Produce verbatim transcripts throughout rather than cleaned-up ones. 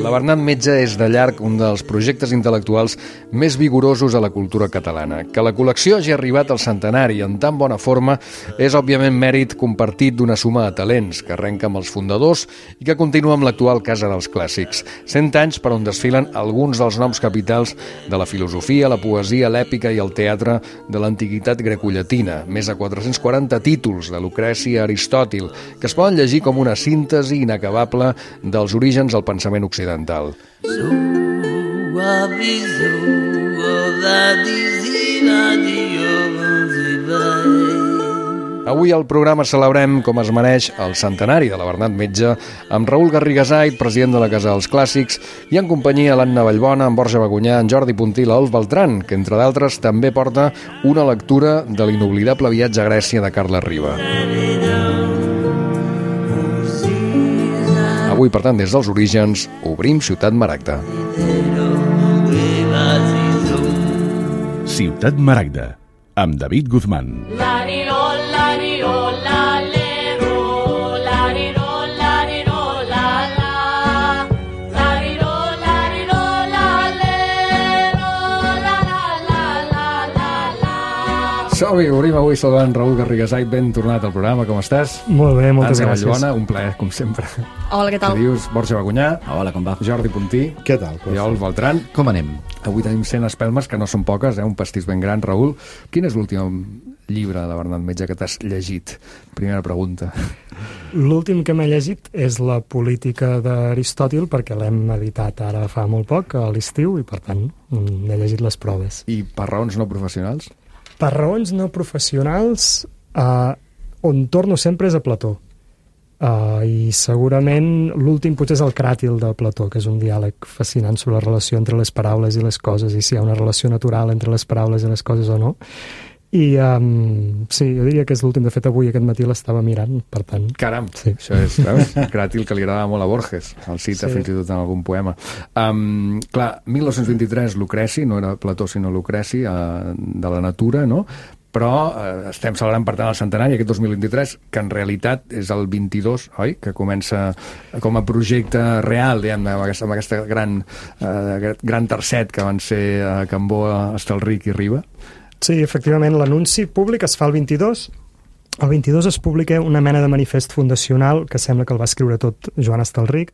La Bernat Metge és de llarg un dels projectes intel·lectuals més vigorosos a la cultura catalana. Que la col·lecció hagi arribat al centenari en tan bona forma és, òbviament, mèrit compartit d'una suma de talents que arrenca amb els fundadors i que continua amb l'actual Casa dels Clàssics. Cent anys per on desfilen alguns dels noms capitals de la filosofia, la poesia, l'èpica i el teatre de l'antiguitat grecollatina. Més de quatre-cents quaranta títols de Lucrècia a Aristòtil, que es poden llegir com una síntesi inacabable dels orígens del pensament occidental. Avui al programa celebrem, com es mereix, el centenari de la Bernat Metge amb Raül Garrigasait, president de la Casa dels Clàssics, i en companyia l'Anna Vallbona, en Borja Bagunyà, en Jordi Puntí i l'Olf Beltran, que, entre d'altres, també porta una lectura de l'inoblidable viatge a Grècia de Carles Riba. Avui, per tant, des dels orígens, obrim Ciutat Maragda. Ciutat Maragda, amb David Guzmán. Som-hi, obrim avui saludant Raül Garrigasait, ben tornat al programa, com estàs? Molt bé, moltes Anna gràcies. Vallbona, un plaer, com sempre. Hola, què tal? Què dius? Borja Bagunyà. Hola, com va? Jordi Puntí. Què tal? I Olf Beltran. Com anem? Avui tenim cent espelmes, que no són poques, eh? Un pastís ben gran. Raül, quin és l'últim llibre de Bernat Metge que t'has llegit? Primera pregunta. L'últim que m'he llegit és La política d'Aristòtil, perquè l'hem editat ara fa molt poc, a l'estiu, i per tant n'he llegit les proves. I per raons no professionals? Per raons no professionals, eh, on torno sempre és a Plató. Uh, I segurament l'últim potser és el Cràtil de Plató, que és un diàleg fascinant sobre la relació entre les paraules i les coses, i si hi ha una relació natural entre les paraules i les coses o no. I um, sí, jo diria que és l'últim. De fet, avui aquest matí l'estava mirant, per tant... Caram, sí. Això és, veus? Cràtil, que li agradava molt a Borges, el cita sí. Fins i tot en algun poema. Um, clar, mil nou-cents vint-i-tres, Lucreci, no era Plató sinó Lucreci, uh, de la natura, no? Però eh, estem celebrant, per tant, el centenari, aquest dos mil vint-i-tres, que en realitat és el vint-i-dos, oi? Que comença com a projecte real, diguem, amb aquesta, amb aquesta gran, eh, gran tercet que van ser eh, Cambó, Estelric i Riba. Sí, efectivament, l'anunci públic es fa el vint-i-dos. El vint-i-dos es publica una mena de manifest fundacional, que sembla que el va escriure tot Joan Estelric,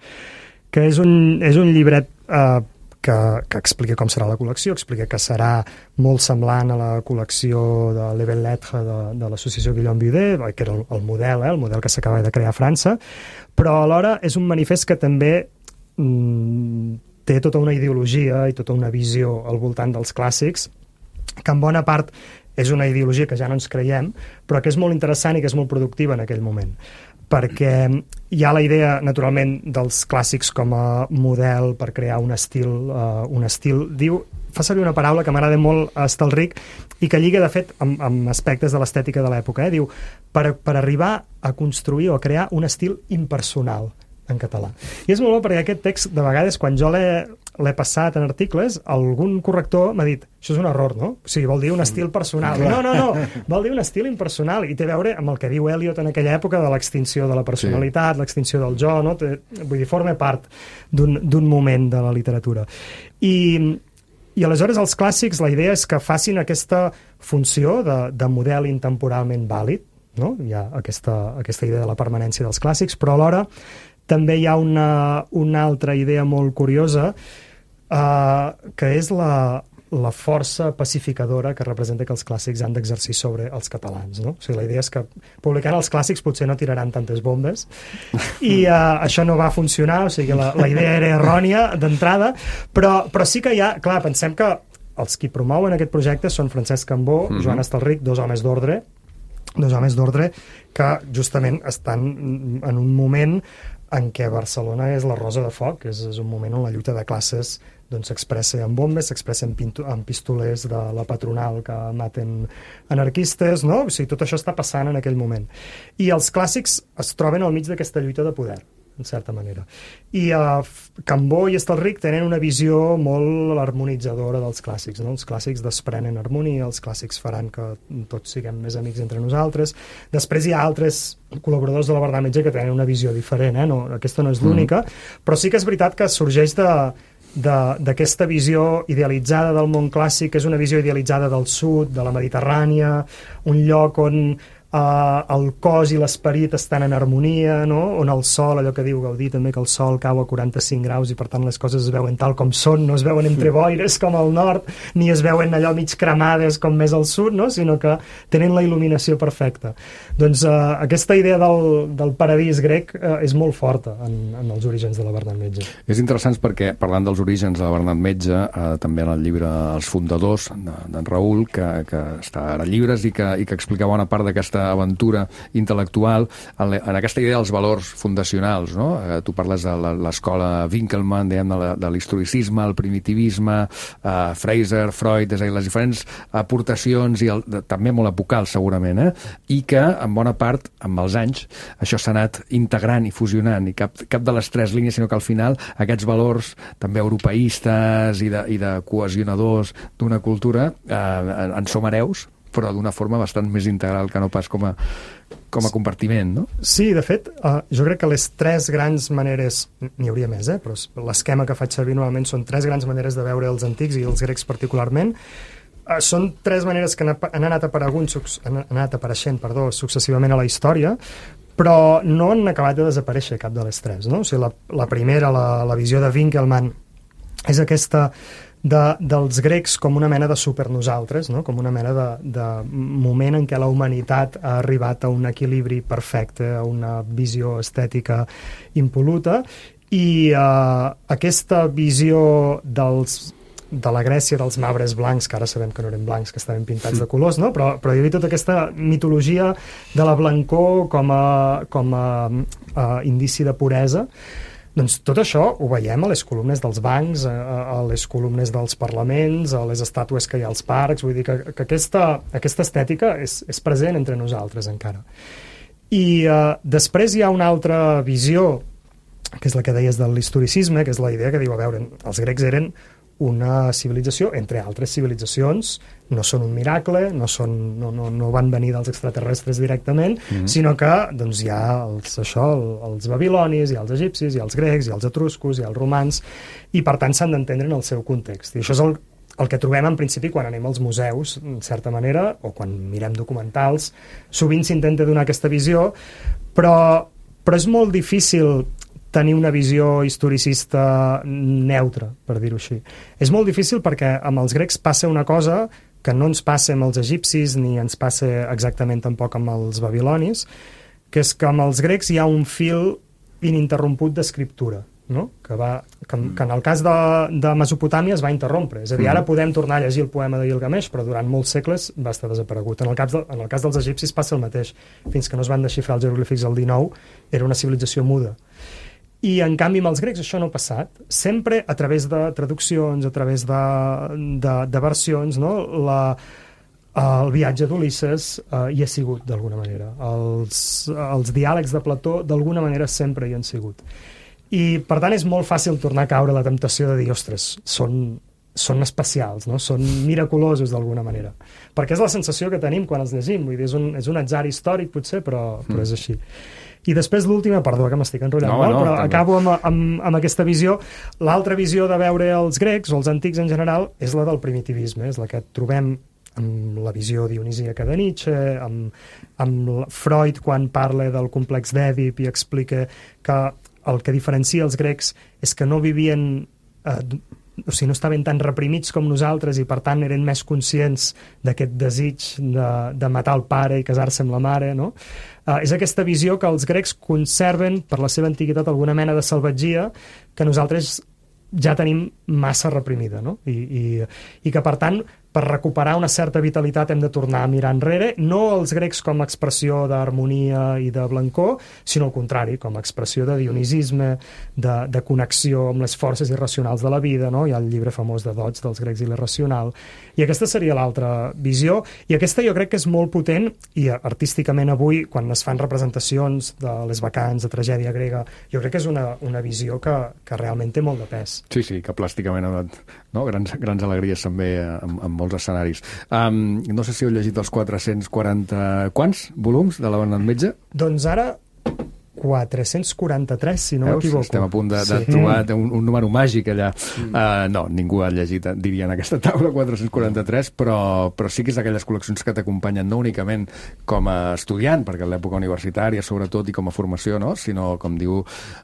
que és un, és un llibret eh, que, que explica com serà la col·lecció, explica que serà molt semblant a la col·lecció de Les Belles Lettres de, de l'associació Guillaume Budet, que era el, el model, eh, el model que s'acaba de crear a França, però alhora és un manifest que també mm, té tota una ideologia i tota una visió al voltant dels clàssics, que en bona part és una ideologia que ja no ens creiem, però que és molt interessant i que és molt productiva en aquell moment. Perquè hi ha la idea, naturalment, dels clàssics com a model per crear un estil, uh, un estil, diu, fa servir una paraula que m'agrada molt a Estelric i que lliga, de fet, amb, amb aspectes de l'estètica de l'època. Eh? Diu, per, per arribar a construir o a crear un estil impersonal en català. I és molt bo perquè aquest text, de vegades, quan jo l'he l'he passat en articles, algun corrector m'ha dit, això és un error, no? O sigui, vol dir un estil personal. No, no, no, vol dir un estil impersonal, i té a veure amb el que diu Eliot en aquella època de l'extinció de la personalitat, sí. L'extinció del jo, no? Té, vull dir, forma part d'un moment de la literatura. I, I aleshores els clàssics, la idea és que facin aquesta funció de, de model intemporalment vàlid, no? Hi ha aquesta, aquesta idea de la permanència dels clàssics, però alhora també hi ha una, una altra idea molt curiosa, Uh, que és la, la força pacificadora que representa que els clàssics han d'exercir sobre els catalans, no? O sigui, la idea és que publicant els clàssics potser no tiraran tantes bombes i uh, això no va funcionar, o sigui, la, la idea era errònia d'entrada, però, però sí que hi ha, clar, pensem que els qui promouen aquest projecte són Francesc Cambó, uh-huh. Joan Estelric, dos homes d'ordre, dos homes d'ordre que justament estan en un moment en què Barcelona és la rosa de foc, és, és un moment on la lluita de classes doncs s'expressa amb bombes, s'expressa amb, amb pistolers de la patronal que maten anarquistes, no? O sigui, tot això està passant en aquell moment. I els clàssics es troben al mig d'aquesta lluita de poder. en certa manera. I uh, Cambó i Estelric tenen una visió molt harmonitzadora dels clàssics, no? Els clàssics desprenen harmonia, els clàssics faran que tots siguem més amics entre nosaltres. Després hi ha altres col·laboradors de la Bernat Metge que tenen una visió diferent, eh? No, aquesta no és l'única, mm. però sí que és veritat que sorgeix de d'aquesta visió idealitzada del món clàssic, que és una visió idealitzada del sud, de la Mediterrània, un lloc on Uh, el cos i l'esperit estan en harmonia, no? On el sol, allò que diu Gaudí també, que el sol cau a quaranta-cinc graus i per tant les coses es veuen tal com són, no es veuen entre boires com al nord, ni es veuen allò mig cremades com més al sud, no? Sinó que tenen la il·luminació perfecta. Doncs uh, aquesta idea del, del paradís grec uh, és molt forta en, en els orígens de la Bernat Metge. És interessant perquè, parlant dels orígens de la Bernat Metge, uh, també en el llibre Els Fundadors, d'en Raül, que, que està ara a llibres i que, i que explica bona part d'aquesta aventura intel·lectual en, en aquesta idea dels valors fundacionals, no? Eh, tu parles de l'escola Winkelmann, diguem, de, de l'historicisme, el primitivisme, eh, Fraser, Freud, és a dir, les diferents aportacions i el, de, també molt epocals segurament, eh? I que en bona part, amb els anys, això s'ha anat integrant i fusionant, i cap, cap de les tres línies, sinó que al final aquests valors també europeistes i de, i de cohesionadors d'una cultura eh, en som hereus, però d'una forma bastant més integral que no pas com a, com a compartiment, no? Sí, de fet, uh, jo crec que les tres grans maneres, n'hi hauria més, eh? Però l'esquema que faig servir normalment són tres grans maneres de veure els antics i els grecs particularment. Uh, són tres maneres que han anat aparegunt, han anat apareixent, perdó, successivament a la història, però no han acabat de desaparèixer cap de les tres, no? O sigui, la, la primera, la, la visió de Winkelmann, és aquesta de, dels grecs com una mena de supernosaltres, no? Com una mena de, de moment en què la humanitat ha arribat a un equilibri perfecte, a una visió estètica impol·luta, i eh, aquesta visió dels de la Grècia dels marbres blancs, que ara sabem que no eren blancs, que estaven pintats de colors, no? però, però hi havia tota aquesta mitologia de la blancor com a, com a uh, indici de puresa. Doncs tot això ho veiem a les columnes dels bancs, a, a les columnes dels parlaments, a les estàtues que hi ha als parcs, vull dir que, que aquesta, aquesta estètica és, és present entre nosaltres encara. I uh, després hi ha una altra visió, que és la que deies de l'historicisme, que és la idea que diu, a veure, els grecs eren una civilització, entre altres civilitzacions, no són un miracle, no, són, no, no, no van venir dels extraterrestres directament, mm-hmm. sinó que doncs, hi ha els, això, els babilonis, hi ha els egipcis, hi ha els grecs, hi ha els etruscos, hi ha els romans, i per tant s'han d'entendre en el seu context. I això és el, el que trobem en principi quan anem als museus, en certa manera, o quan mirem documentals, sovint s'intenta donar aquesta visió, però, però és molt difícil tenir una visió historicista neutra, per dir-ho així. És molt difícil perquè amb els grecs passa una cosa que no ens passa amb els egipcis ni ens passa exactament tampoc amb els babilonis, que és que amb els grecs hi ha un fil ininterromput d'escriptura, no? que, va, que, que en el cas de, de Mesopotàmia es va interrompre. És a dir, ara podem tornar a llegir el poema de Gilgamesh, però durant molts segles va estar desaparegut. En el cas, de, en el cas dels egipcis passa el mateix. Fins que no es van desxifrar els jeroglífics al dinou, era una civilització muda. I, en canvi, amb els grecs això no ha passat. Sempre a través de traduccions, a través de, de, de versions, no? La, el viatge d'Ulisses eh, hi ha sigut, d'alguna manera. Els, els diàlegs de Plató, d'alguna manera, sempre hi han sigut. I, per tant, és molt fàcil tornar a caure la temptació de dir, ostres, són, són especials, no? Són miraculosos, d'alguna manera. Perquè és la sensació que tenim quan els llegim. Vull dir, és un, és un atzar històric, potser, però, però és així. I després l'última, perdó, que m'estic enrotllant no, molt, no, però també. Acabo amb, amb, amb aquesta visió. L'altra visió de veure els grecs, o els antics en general, és la del primitivisme, és la que trobem amb la visió dionisíaca de Nietzsche, amb, amb Freud quan parla del complex d'Èdip i explica que el que diferencia els grecs és que no vivien... Eh, o sigui, no estaven tan reprimits com nosaltres i per tant eren més conscients d'aquest desig de, de matar el pare i casar-se amb la mare, no? Uh, és aquesta visió que els grecs conserven per la seva antiguitat alguna mena de salvatgia que nosaltres ja tenim massa reprimida, no? I, i, i que per tant per recuperar una certa vitalitat hem de tornar a mirar enrere, no els grecs com a expressió d'harmonia i de blancor, sinó al contrari, com a expressió de dionisisme, de, de connexió amb les forces irracionals de la vida, no? Hi ha el llibre famós de Dodds dels grecs i l'irracional, i aquesta seria l'altra visió, i aquesta jo crec que és molt potent, i artísticament avui, quan es fan representacions de les bacants, de tragèdia grega, jo crec que és una, una visió que, que realment té molt de pes. Sí, sí, que plàsticament ha donat, no? grans, grans alegries també en, en molts escenaris. Um, no sé si heu llegit els quatre-cents quaranta... Quants volums de la Bernat Metge? Doncs ara quatre-cents quaranta-tres, si no m'equivoco. Estem a punt de, de sí. trobar un, un número màgic allà. Mm. Uh, no, ningú ha llegit, diria, en aquesta taula quatre-cents quaranta-tres, però, però sí que és d'aquelles col·leccions que t'acompanyen no únicament com a estudiant, perquè a l'època universitària, sobretot, i com a formació, no? Sinó, com diu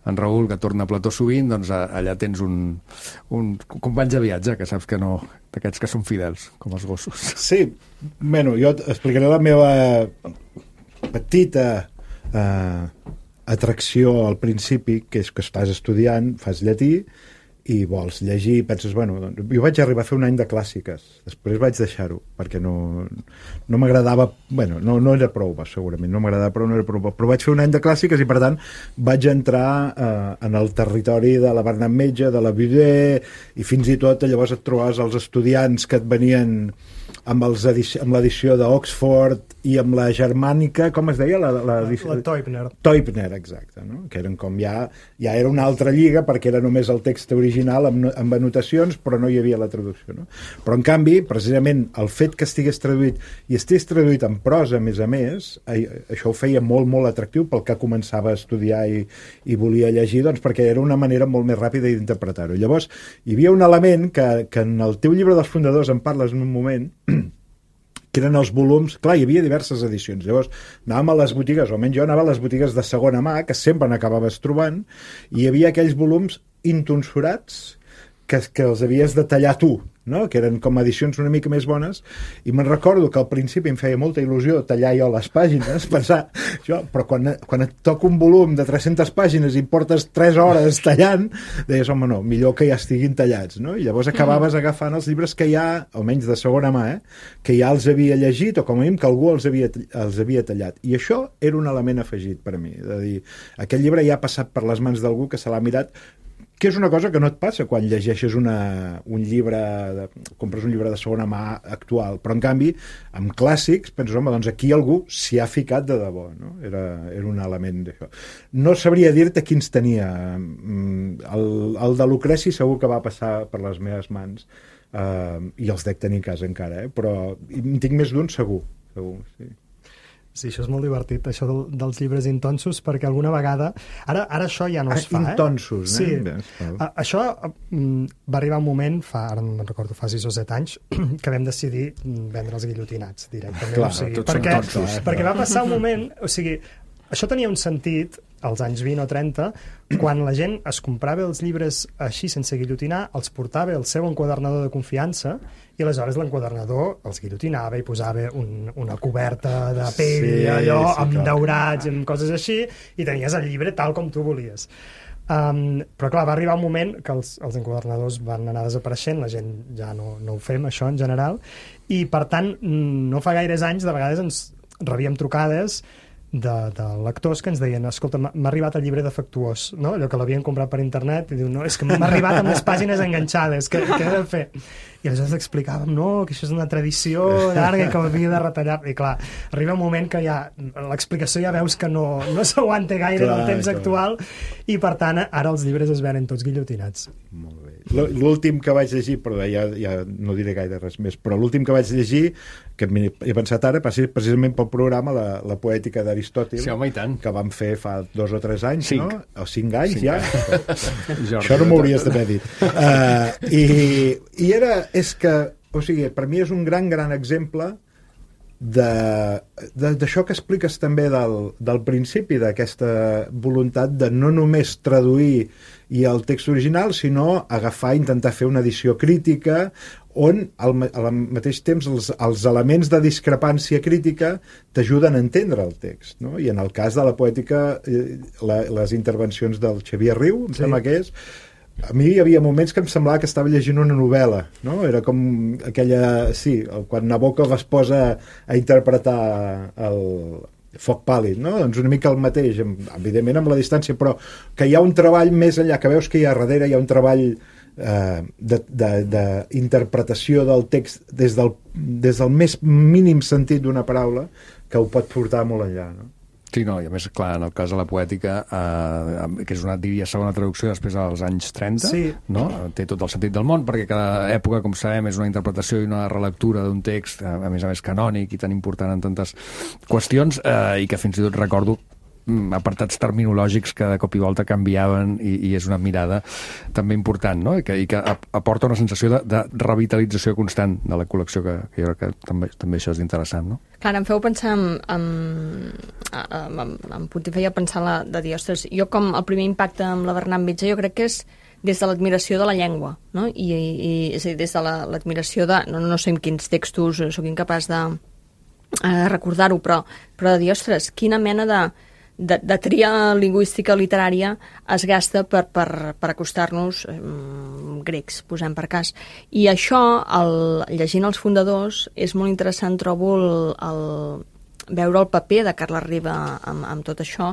en Raül, que torna a Plató sovint, doncs allà tens un, un companys de viatge, que saps que no, d'aquests que són fidels, com els gossos. Sí, bueno, jo explicaré la meva petita... Uh, atracció al principi, que és que estàs estudiant, fas llatí i vols llegir, penses, bueno, doncs, jo vaig arribar a fer un any de clàssiques, després vaig deixar-ho, perquè no, no m'agradava, bueno, no, no era prou, segurament, no m'agradava prou, no era prou, però vaig fer un any de clàssiques i, per tant, vaig entrar eh, en el territori de la Bernat Metge, de la Viver, i fins i tot llavors et trobaves els estudiants que et venien amb, els edici amb l'edició d'Oxford i amb la germànica, com es deia? La, la, la, la Teubner. Teubner, exacte, no? Que eren com ja, ja era una altra lliga perquè era només el text original amb, amb anotacions, però no hi havia la traducció, no? Però en canvi, precisament el fet que estigués traduït i estigués traduït en prosa, a més a més, això ho feia molt, molt atractiu pel que començava a estudiar i, i volia llegir, doncs perquè era una manera molt més ràpida d'interpretar-ho. Llavors, hi havia un element que, que en el teu llibre dels fundadors en parles en un moment, que eren els volums, clar, hi havia diverses edicions, llavors anàvem a les botigues, o almenys jo anava a les botigues de segona mà, que sempre n'acabaves trobant, i hi havia aquells volums intonsurats que, que els havies de tallar tu, no? Que eren com edicions una mica més bones, i me'n recordo que al principi em feia molta il·lusió tallar jo les pàgines, pensar, jo, però quan, quan et toca un volum de tres-centes pàgines i portes tres hores tallant, deies, home, no, millor que ja estiguin tallats, no? I llavors acabaves agafant els llibres que ja, almenys de segona mà, eh, que ja els havia llegit, o com a mínim que algú els havia, els havia tallat. I això era un element afegit per a mi, de dir, aquest llibre ja ha passat per les mans d'algú que se l'ha mirat, que és una cosa que no et passa quan llegeixes una, un llibre, de, compres un llibre de segona mà actual, però en canvi, amb clàssics, penses, home, doncs aquí algú s'hi ha ficat de debò, no? Era, era un element d'això. No sabria dir-te quins tenia. El, el de Lucreci segur que va passar per les meves mans, eh, i els dec tenir a casa encara, eh? Però en tinc més d'un segur, segur, sí. Sí, això és molt divertit, això del, dels llibres intonsos, perquè alguna vegada... Ara, ara això ja no es fa, eh? Intonsos, sí. eh? Sí. A, això mm, va arribar un moment, fa, ara no recordo, fa sis o set anys, que vam decidir vendre els guillotinats directament. Clar, o sigui, tots perquè, són tonsos, eh? perquè va passar un moment... O sigui, això tenia un sentit als anys vint o trenta, quan la gent es comprava els llibres així sense guillotinar, els portava el seu enquadernador de confiança i aleshores l'enquadernador els guillotinava i posava un, una coberta de pell, sí, allò, sí, amb clar. Daurats, amb coses així, i tenies el llibre tal com tu volies. Um, però clar, va arribar un moment que els, els enquadernadors van anar desapareixent, la gent ja no, no ho fem, això, en general, i per tant, no fa gaires anys, de vegades ens rebíem trucades de, de lectors que ens deien, escolta, m'ha arribat el llibre defectuós, no? Allò que l'havien comprat per internet, i diu, no, és que m'ha arribat amb les pàgines enganxades, què, què he de fer? I aleshores explicàvem, no, que això és una tradició llarga i que havia de retallar, i clar, arriba un moment que ja l'explicació ja veus que no, no s'aguanta gaire clar, en el temps clar. actual, i per tant ara els llibres es venen tots guillotinats. Molt bé. L'últim que vaig llegir, però ja, ja no diré gaire res més, però l'últim que vaig llegir, que he pensat ara, precisament pel programa, la, la poètica d'Aristòtil, sí, home, i tant. Que vam fer fa dos o tres anys, cinc. no? O cinc anys, cinc ja. Anys. Això no m'hauries d'haver dit. Uh, i, I era, és que, o sigui, per mi és un gran, gran exemple d'això que expliques també del, del principi, d'aquesta voluntat de no només traduir i el text original, sinó agafar, intentar fer una edició crítica on al, al mateix temps els, els elements de discrepància crítica t'ajuden a entendre el text, no? I en el cas de la poètica, eh, la, les intervencions del Xavier Riu, em sí. sembla que és, a mi hi havia moments que em semblava que estava llegint una novel·la, no? Era com aquella... Sí, quan Nabokov es posa a interpretar el Foc pàl·lid, no? Doncs una mica el mateix, evidentment amb la distància, però que hi ha un treball més enllà, que veus que hi ha darrere, hi ha un treball eh, d'interpretació de, de del text des del, des del més mínim sentit d'una paraula que ho pot portar molt enllà, no? Sí, no, i a més, clar, en el cas de la poètica, eh, que és una, diria, segona traducció després dels anys trenta, sí. No? Té tot el sentit del món, perquè cada època, com sabem, és una interpretació i una relectura d'un text, a més a més canònic i tan important en tantes qüestions, eh, i que fins i tot recordo apartats terminològics que de cop i volta canviaven i, i és una mirada també important, no? I que, i que aporta una sensació de, de revitalització constant de la col·lecció, que, que jo crec que també, també això és interessant, no? Clar, em feu pensar en, en, en, en Puig feia pensar la, de dir, ostres, jo com el primer impacte amb la Bernat Metge jo crec que és des de l'admiració de la llengua, no? I, i és a dir, des de l'admiració de, no, no sé en quins textos sóc incapaç de eh, recordar-ho, però, però de dir, ostres, quina mena de De, de tria lingüística literària es gasta per, per, per acostar-nos eh, grecs, posem per cas. I això, el, llegint els fundadors, és molt interessant, trobo, el, el, veure el paper de Carles Riba amb, amb tot això,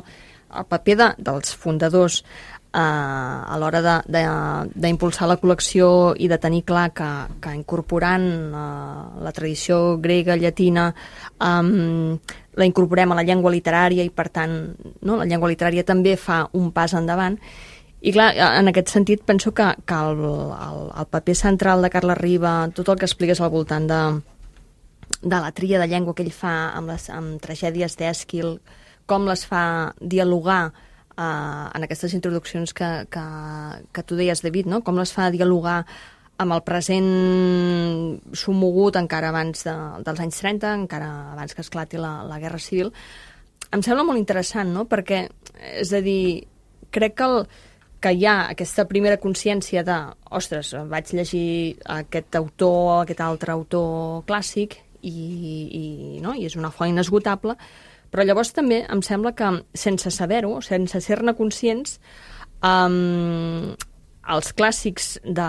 el paper de, dels fundadors eh, a l'hora d'impulsar la col·lecció i de tenir clar que, que incorporant eh, la tradició grega, llatina, eh, la incorporem a la llengua literària i, per tant, no, la llengua literària també fa un pas endavant. I, clar, en aquest sentit, penso que, que el, el, el paper central de Carles Riba, tot el que expliques al voltant de, de la tria de llengua que ell fa amb les amb tragèdies d'Èsquil, com les fa dialogar eh, en aquestes introduccions que, que, que tu deies, David, no? Com les fa dialogar amb el present somogut encara abans de, dels anys trenta, encara abans que esclati la, la Guerra Civil, em sembla molt interessant, no? Perquè, és a dir, crec que, el, que hi ha aquesta primera consciència de, ostres, vaig llegir aquest autor, aquest altre autor clàssic, i, i, no? I és una font inesgotable, però llavors també em sembla que, sense saber-ho, sense ser-ne conscients, um, els clàssics de...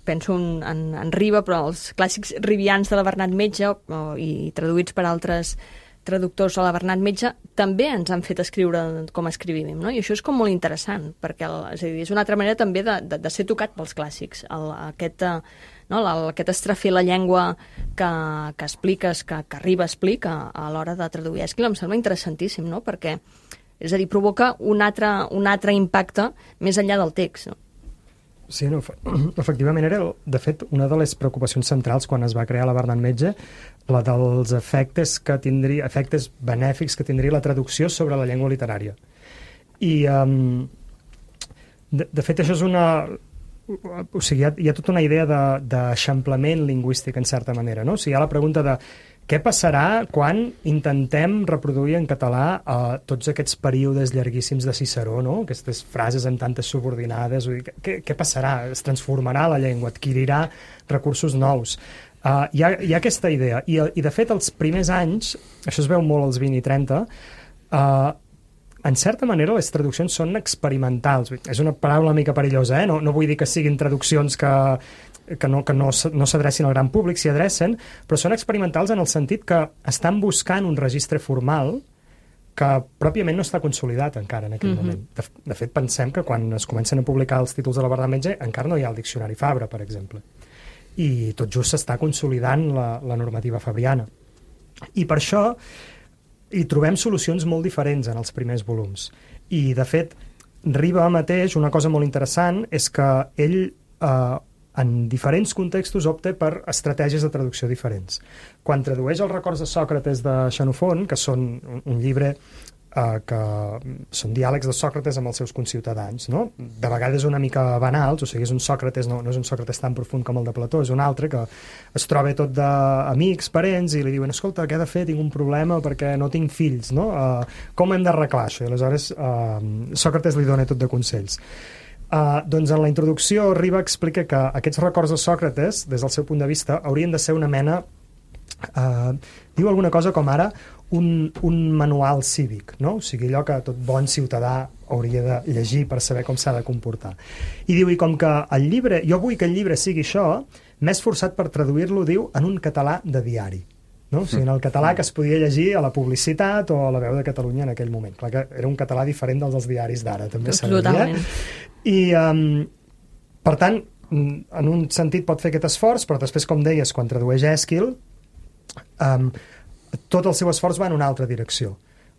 penso en, en, en Riba, però els clàssics ribians de la Bernat Metge o, i traduïts per altres traductors a la Bernat Metge també ens han fet escriure com escrivim, no? I això és com molt interessant, perquè el, és, a dir, és una altra manera també de, de, de ser tocat pels clàssics. El, aquest, no, el, aquest estrafir la llengua que, que expliques, que, que Riba explica a l'hora de traduir Èsquil, em sembla interessantíssim, no? Perquè és a dir, provoca un altre, un altre impacte més enllà del text, no? Sí, no, efectivament era, de fet, una de les preocupacions centrals quan es va crear la Bernat Metge, la dels efectes que tindria, efectes benèfics que tindria la traducció sobre la llengua literària. I, um, de, de fet, això és una... O sigui, hi ha, hi ha tota una idea d'eixamplament lingüístic, en certa manera, no? O sigui, hi ha la pregunta de què passarà quan intentem reproduir en català uh, tots aquests períodes llarguíssims de Ciceró, no? Aquestes frases amb tantes subordinades? Vull dir, què, què passarà? Es transformarà la llengua? Adquirirà recursos nous? Uh, hi, ha, hi ha aquesta idea. I, I, de fet, els primers anys, això es veu molt als vint i trenta, uh, en certa manera les traduccions són experimentals. És una paraula una mica perillosa, eh? No, no vull dir que siguin traduccions que... que no, que no, no s'adrecin al gran públic, s'hi adrecen, però són experimentals en el sentit que estan buscant un registre formal que pròpiament no està consolidat encara en aquell mm-hmm. moment. De, de fet, pensem que quan es comencen a publicar els títols de la Bernat Metge encara no hi ha el diccionari Fabra, per exemple. I tot just s'està consolidant la, la normativa fabriana. I per això hi trobem solucions molt diferents en els primers volums. I, de fet, Riba mateix, una cosa molt interessant és que ell... Eh, en diferents contextos opta per estratègies de traducció diferents. Quan tradueix els records de Sòcrates de Xenofont, que són un, un llibre eh, que són diàlegs de Sòcrates amb els seus conciutadans, no? De vegades una mica banals, o sigui, és un Sòcrates, no, no és un Sòcrates tan profund com el de Plató, és un altre que es troba tot d'amics, parents, i li diuen, escolta, què he de fer? Tinc un problema perquè no tinc fills, no? Uh, com hem d'arreglar això? I aleshores uh, Sòcrates li dona tot de consells. Uh, doncs en la introducció Riba explica que aquests records de Sòcrates, des del seu punt de vista, haurien de ser una mena Uh, diu alguna cosa com ara un, un manual cívic, no? O sigui, allò que tot bon ciutadà hauria de llegir per saber com s'ha de comportar. I diu, i com que el llibre, jo vull que el llibre sigui això, m'he esforçat per traduir-lo, diu, en un català de diari. No? O sigui, en el català que es podia llegir a la publicitat o a la Veu de Catalunya en aquell moment. Clar que era un català diferent dels dels diaris d'ara, també s'ha de dir. I, um, per tant, en un sentit pot fer aquest esforç, però després, com deies, quan tradueix Èsquil, Um, tot el seu esforç va en una altra direcció.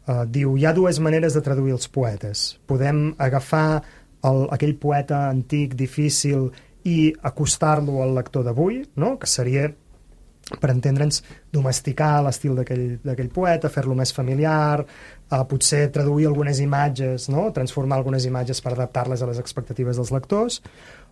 Uh, diu, hi ha dues maneres de traduir els poetes. Podem agafar el, aquell poeta antic, difícil, i acostar-lo al lector d'avui, no? Que seria, per entendre'ns, domesticar l'estil d'aquell poeta, fer-lo més familiar, uh, potser traduir algunes imatges, no? Transformar algunes imatges per adaptar-les a les expectatives dels lectors.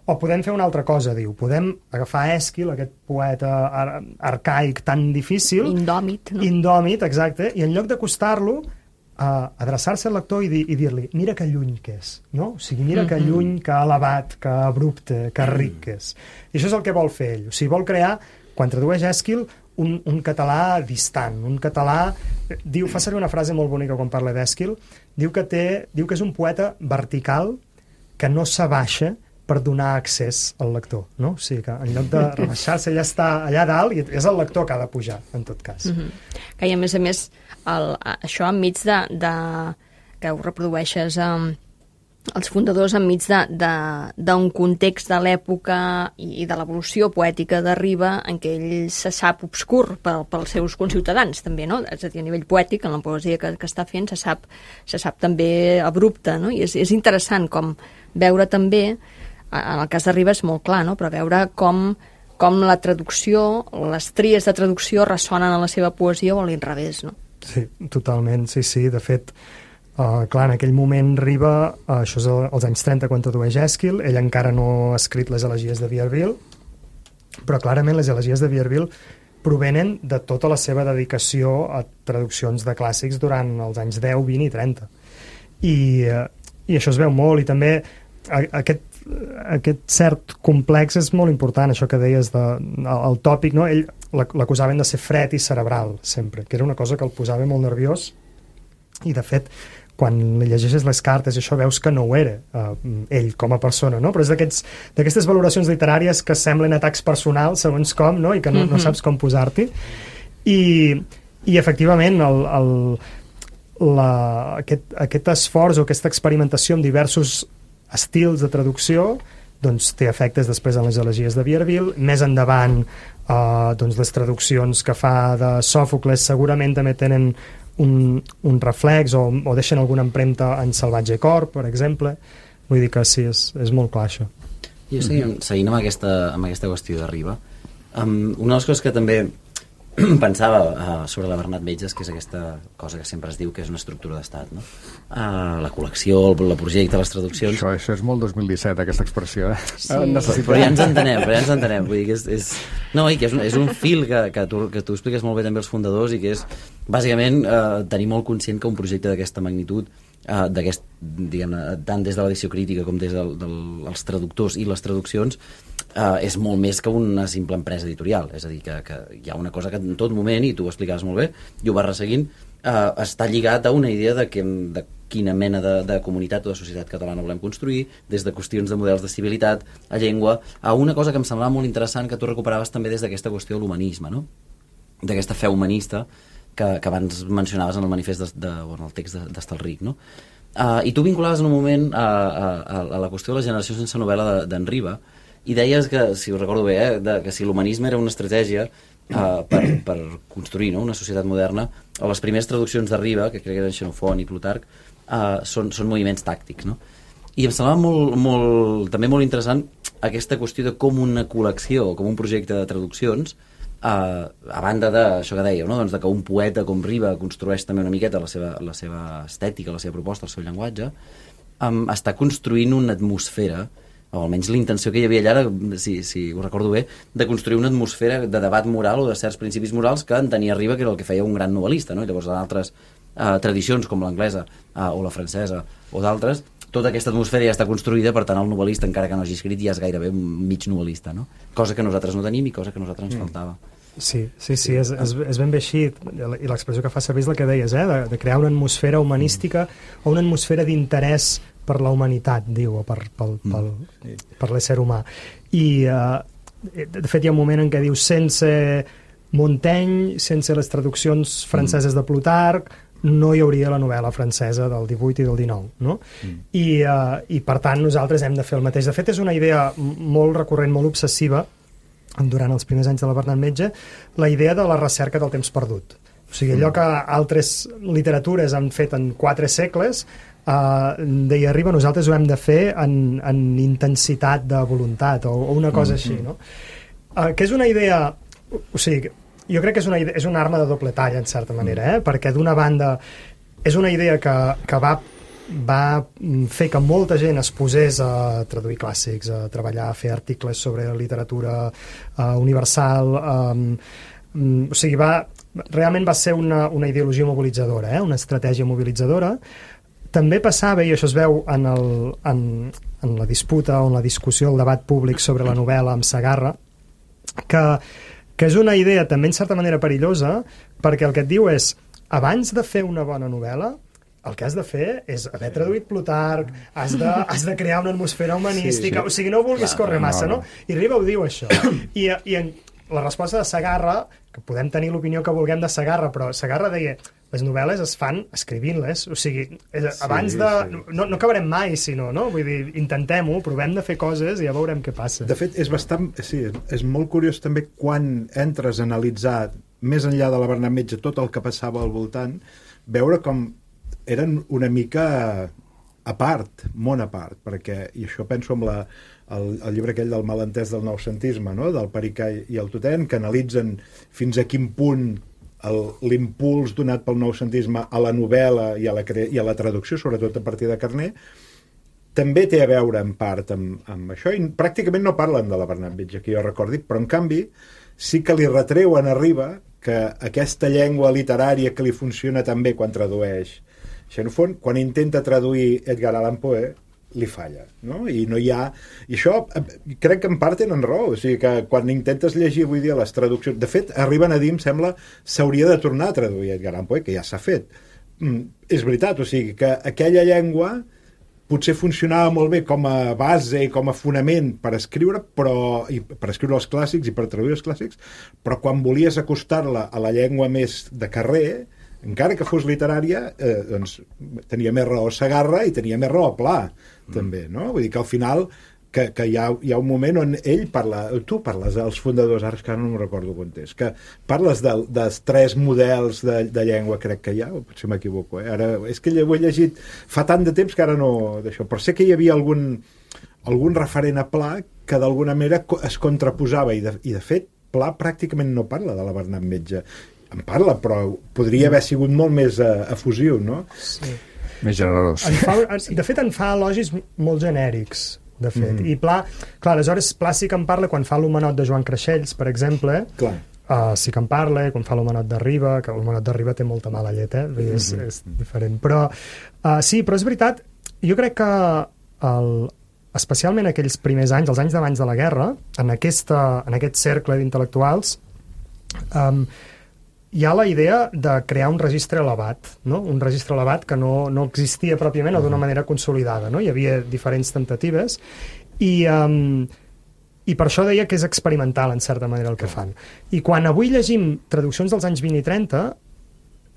O podem fer una altra cosa, diu. Podem agafar Èsquil, aquest poeta ar arcaic tan difícil... Indòmit, no? Indòmit, exacte. I en lloc d'acostar-lo, uh, adreçar-se al lector i, di i dir-li, mira que lluny que és, no? O sigui, mira mm -hmm. que lluny, que elevat, que abrupte, que ric que és. I això és el que vol fer ell. O sigui, vol crear, quan tradueix Èsquil, un, un català distant, un català... Diu, fa servir una frase molt bonica quan parla d'Èsquil, diu que té, diu que és un poeta vertical que no s'abaixa per donar accés al lector, no? O sigui que en lloc de rebaixar-se ja està allà dalt i és el lector que ha de pujar, en tot cas. Mm -hmm. Que, i a més a més, el, això enmig de, de... que ho reprodueixes um, els fundadors enmig d'un context de l'època i, i de l'evolució poètica de Riba en què ell se sap obscur pel, pels seus conciutadans, també, no? És a dir, a nivell poètic, en la poesia que, que està fent, se sap, se sap també abrupte, no? I és, és interessant com veure també, en el cas de Riba és molt clar, no? Però veure com, com la traducció, les tries de traducció ressonen a la seva poesia o a l'inrevés, no? Sí, totalment, sí, sí. De fet, uh, clar, en aquell moment Riba, uh, això és als anys trenta quan tradueix Èsquil, ell encara no ha escrit les elegies de Vierville, però clarament les elegies de Vierville provenen de tota la seva dedicació a traduccions de clàssics durant els anys deu, vint i trenta. I, uh, i això es veu molt, i també aquest aquest cert complex és molt important, això que deies de, el tòpic, no? Ell l'acusaven de ser fred i cerebral sempre, que era una cosa que el posava molt nerviós, i de fet quan li llegeixes les cartes i això veus que no ho era uh, ell com a persona, no? Però és d'aquestes valoracions literàries que semblen atacs personals segons com, no? I que no, mm-hmm. no saps com posar-t'hi, i, i efectivament el, el, la, aquest, aquest esforç o aquesta experimentació amb diversos estils de traducció doncs té efectes després en les elegies de Vierville. Més endavant eh, doncs les traduccions que fa de Sòfocles segurament també tenen un, un reflex o, o deixen alguna empremta en Salvatge Cor, per exemple. Vull dir que sí, és, és molt clar això. Jo seguint, seguint amb, aquesta, amb aquesta qüestió de Riba, um, una de les coses que també pensava uh, sobre la Bernat Metges, que és aquesta cosa que sempre es diu que és una estructura d'estat, no? Uh, la col·lecció, el, el projecte, les traduccions... Això, això és molt dos mil disset, aquesta expressió, eh? Sí. Necessitem... Però ja ens entenem, però ja ens entenem. Vull dir que és, és... No, i que és un, és un fil que, que, tu, que tu expliques molt bé també als fundadors i que és, bàsicament, uh, tenir molt conscient que un projecte d'aquesta magnitud, uh, d'aquest, diguem-ne, tant des de l'edició crítica com des dels del, dels traductors i les traduccions, Uh, és molt més que una simple empresa editorial, és a dir, que, que hi ha una cosa que en tot moment, i tu ho explicaves molt bé, i ho vas resseguint, uh, està lligat a una idea de, que, de quina mena de, de comunitat o de societat catalana volem construir, des de qüestions de models de civilitat, a llengua, a una cosa que em semblava molt interessant que tu recuperaves també des d'aquesta qüestió de l'humanisme, no? D'aquesta fe humanista que, que abans mencionaves en el manifest de, de, o en el text d'Estalric, no? Uh, I tu vinculaves en un moment a, a, a la qüestió de la generació sense novel·la d'en de, Riba, i deies que, si ho recordo bé, eh, de, que si l'humanisme era una estratègia uh, per, per construir, no?, una societat moderna, o les primeres traduccions de Riba, que crec que eren Xenofont i Plutarc, uh, són, són moviments tàctics, no? I em semblava molt, molt, també molt interessant aquesta qüestió de com una col·lecció, com un projecte de traduccions, uh, a banda d'això que dèieu, no?, doncs de que un poeta com Riba construeix també una miqueta la seva, la seva estètica, la seva proposta, el seu llenguatge, um, està construint una atmosfera, o almenys la intenció que hi havia allà, si, si ho recordo bé, de construir una atmosfera de debat moral o de certs principis morals que entenia Riba que era el que feia un gran novel·lista, no? I llavors en altres uh, tradicions com l'anglesa uh, o la francesa o d'altres, tota aquesta atmosfera ja està construïda, per tant el novel·lista, encara que no hagi escrit, ja és gairebé un mig novel·lista, no? Cosa que nosaltres no tenim i cosa que a nosaltres ens faltava. Sí, sí, sí, és, és, és ben bé així, i l'expressió que fa servir és la que deies, eh? de, de crear una atmosfera humanística mm. o una atmosfera d'interès per la humanitat, diu, o per, pel, pel, per l'ésser humà. I, uh, de fet, hi ha un moment en què diu sense Montaigne, sense les traduccions franceses de Plutarc, no hi hauria la novel·la francesa del divuit i del dinou, no? Mm. I, uh, I, per tant, nosaltres hem de fer el mateix. De fet, és una idea molt recurrent, molt obsessiva, durant els primers anys de la Bernat Metge, la idea de la recerca del temps perdut. O sigui, allò que altres literatures han fet en quatre segles, eh, deia Riba, nosaltres ho hem de fer en, en intensitat de voluntat, o, o una cosa mm-hmm. així, no? Eh, que és una idea... O sigui, jo crec que és una, idea, és una arma de doble talla, en certa manera, eh? Perquè d'una banda és una idea que, que va va fer que molta gent es posés a traduir clàssics, a treballar, a fer articles sobre literatura uh, universal. Um, um, o sigui, va, realment va ser una, una ideologia mobilitzadora, eh? Una estratègia mobilitzadora. També passava, i això es veu en, el, en, en la disputa o en la discussió, el debat públic sobre la novel·la amb Segarra, que, que és una idea també en certa manera perillosa, perquè el que et diu és, abans de fer una bona novel·la, el que has de fer és haver traduït Plutarc, has de, has de crear una atmosfera humanística, sí, sí. O sigui, no vulguis Clar, córrer massa, no, no? no? I Riba ho diu, això. I, i en la resposta de Segarra, que podem tenir l'opinió que vulguem de Segarra, però Segarra deia, les novel·les es fan escrivint-les, o sigui, abans sí, de... Sí. No, no acabarem mai, sinó, no? Vull dir, intentem-ho, provem de fer coses i ja veurem què passa. De fet, és bastant... Sí, és molt curiós també quan entres a analitzar, més enllà de la Bernat Metge, tot el que passava al voltant, veure com eren una mica a part, món a part, perquè, i això penso amb la, el, el llibre aquell del malentès del noucentisme, no? Del Pericà i el Totent, que analitzen fins a quin punt l'impuls donat pel noucentisme a la novel·la i a la, cre i a la traducció, sobretot a partir de Carner, també té a veure en part amb, amb això, i pràcticament no parlen de la Bernat Metge, que jo recordi, però en canvi sí que li retreuen a Riba que aquesta llengua literària que li funciona tan bé quan tradueix Xenofont, quan intenta traduir Edgar Allan Poe, li falla, no? I no hi ha... I això crec que en part tenen raó, o sigui que quan intentes llegir avui dia les traduccions... De fet, arriben a dir, em sembla, s'hauria de tornar a traduir Edgar Allan Poe, que ja s'ha fet. Mm, és veritat, o sigui que aquella llengua potser funcionava molt bé com a base i com a fonament per escriure, però, i per escriure els clàssics i per traduir els clàssics, però quan volies acostar-la a la llengua més de carrer, encara que fos literària, eh, doncs tenia més raó Segarra i tenia més raó Pla, mm. també, no? Vull dir que al final que, que hi, ha, hi ha un moment on ell parla, tu parles dels fundadors, ara és que no me'n recordo quan és, que parles de, dels tres models de, de llengua, crec que hi ha, o potser m'equivoco, eh? Ara, és que ho he llegit fa tant de temps que ara no d'això, però sé que hi havia algun, algun referent a Pla que d'alguna manera es contraposava, i de, i de fet Pla pràcticament no parla de la Bernat Metge, en parla, però podria haver sigut molt més uh, efusiu, no? Sí. Més generós. En fa, de fet, en fa elogis molt genèrics, de fet. Mm. I Pla, clar, aleshores, Pla sí que en parla quan fa l'Homenot de Joan Creixells, per exemple, clar. Uh, sí que en parla, quan fa l'Homenot de Riba, que l'Homenot de Riba té molta mala llet, eh? Mm-hmm. és, és diferent. Però, uh, sí, però és veritat, jo crec que el, especialment aquells primers anys, els anys d'abans de la guerra, en, aquesta, en aquest cercle d'intel·lectuals, um, hi ha la idea de crear un registre elevat, no? Un registre elevat que no, no existia pròpiament o d'una manera consolidada, no? Hi havia diferents tentatives i, um, i per això deia que és experimental en certa manera el que fan. I quan avui llegim traduccions dels anys vint i trenta,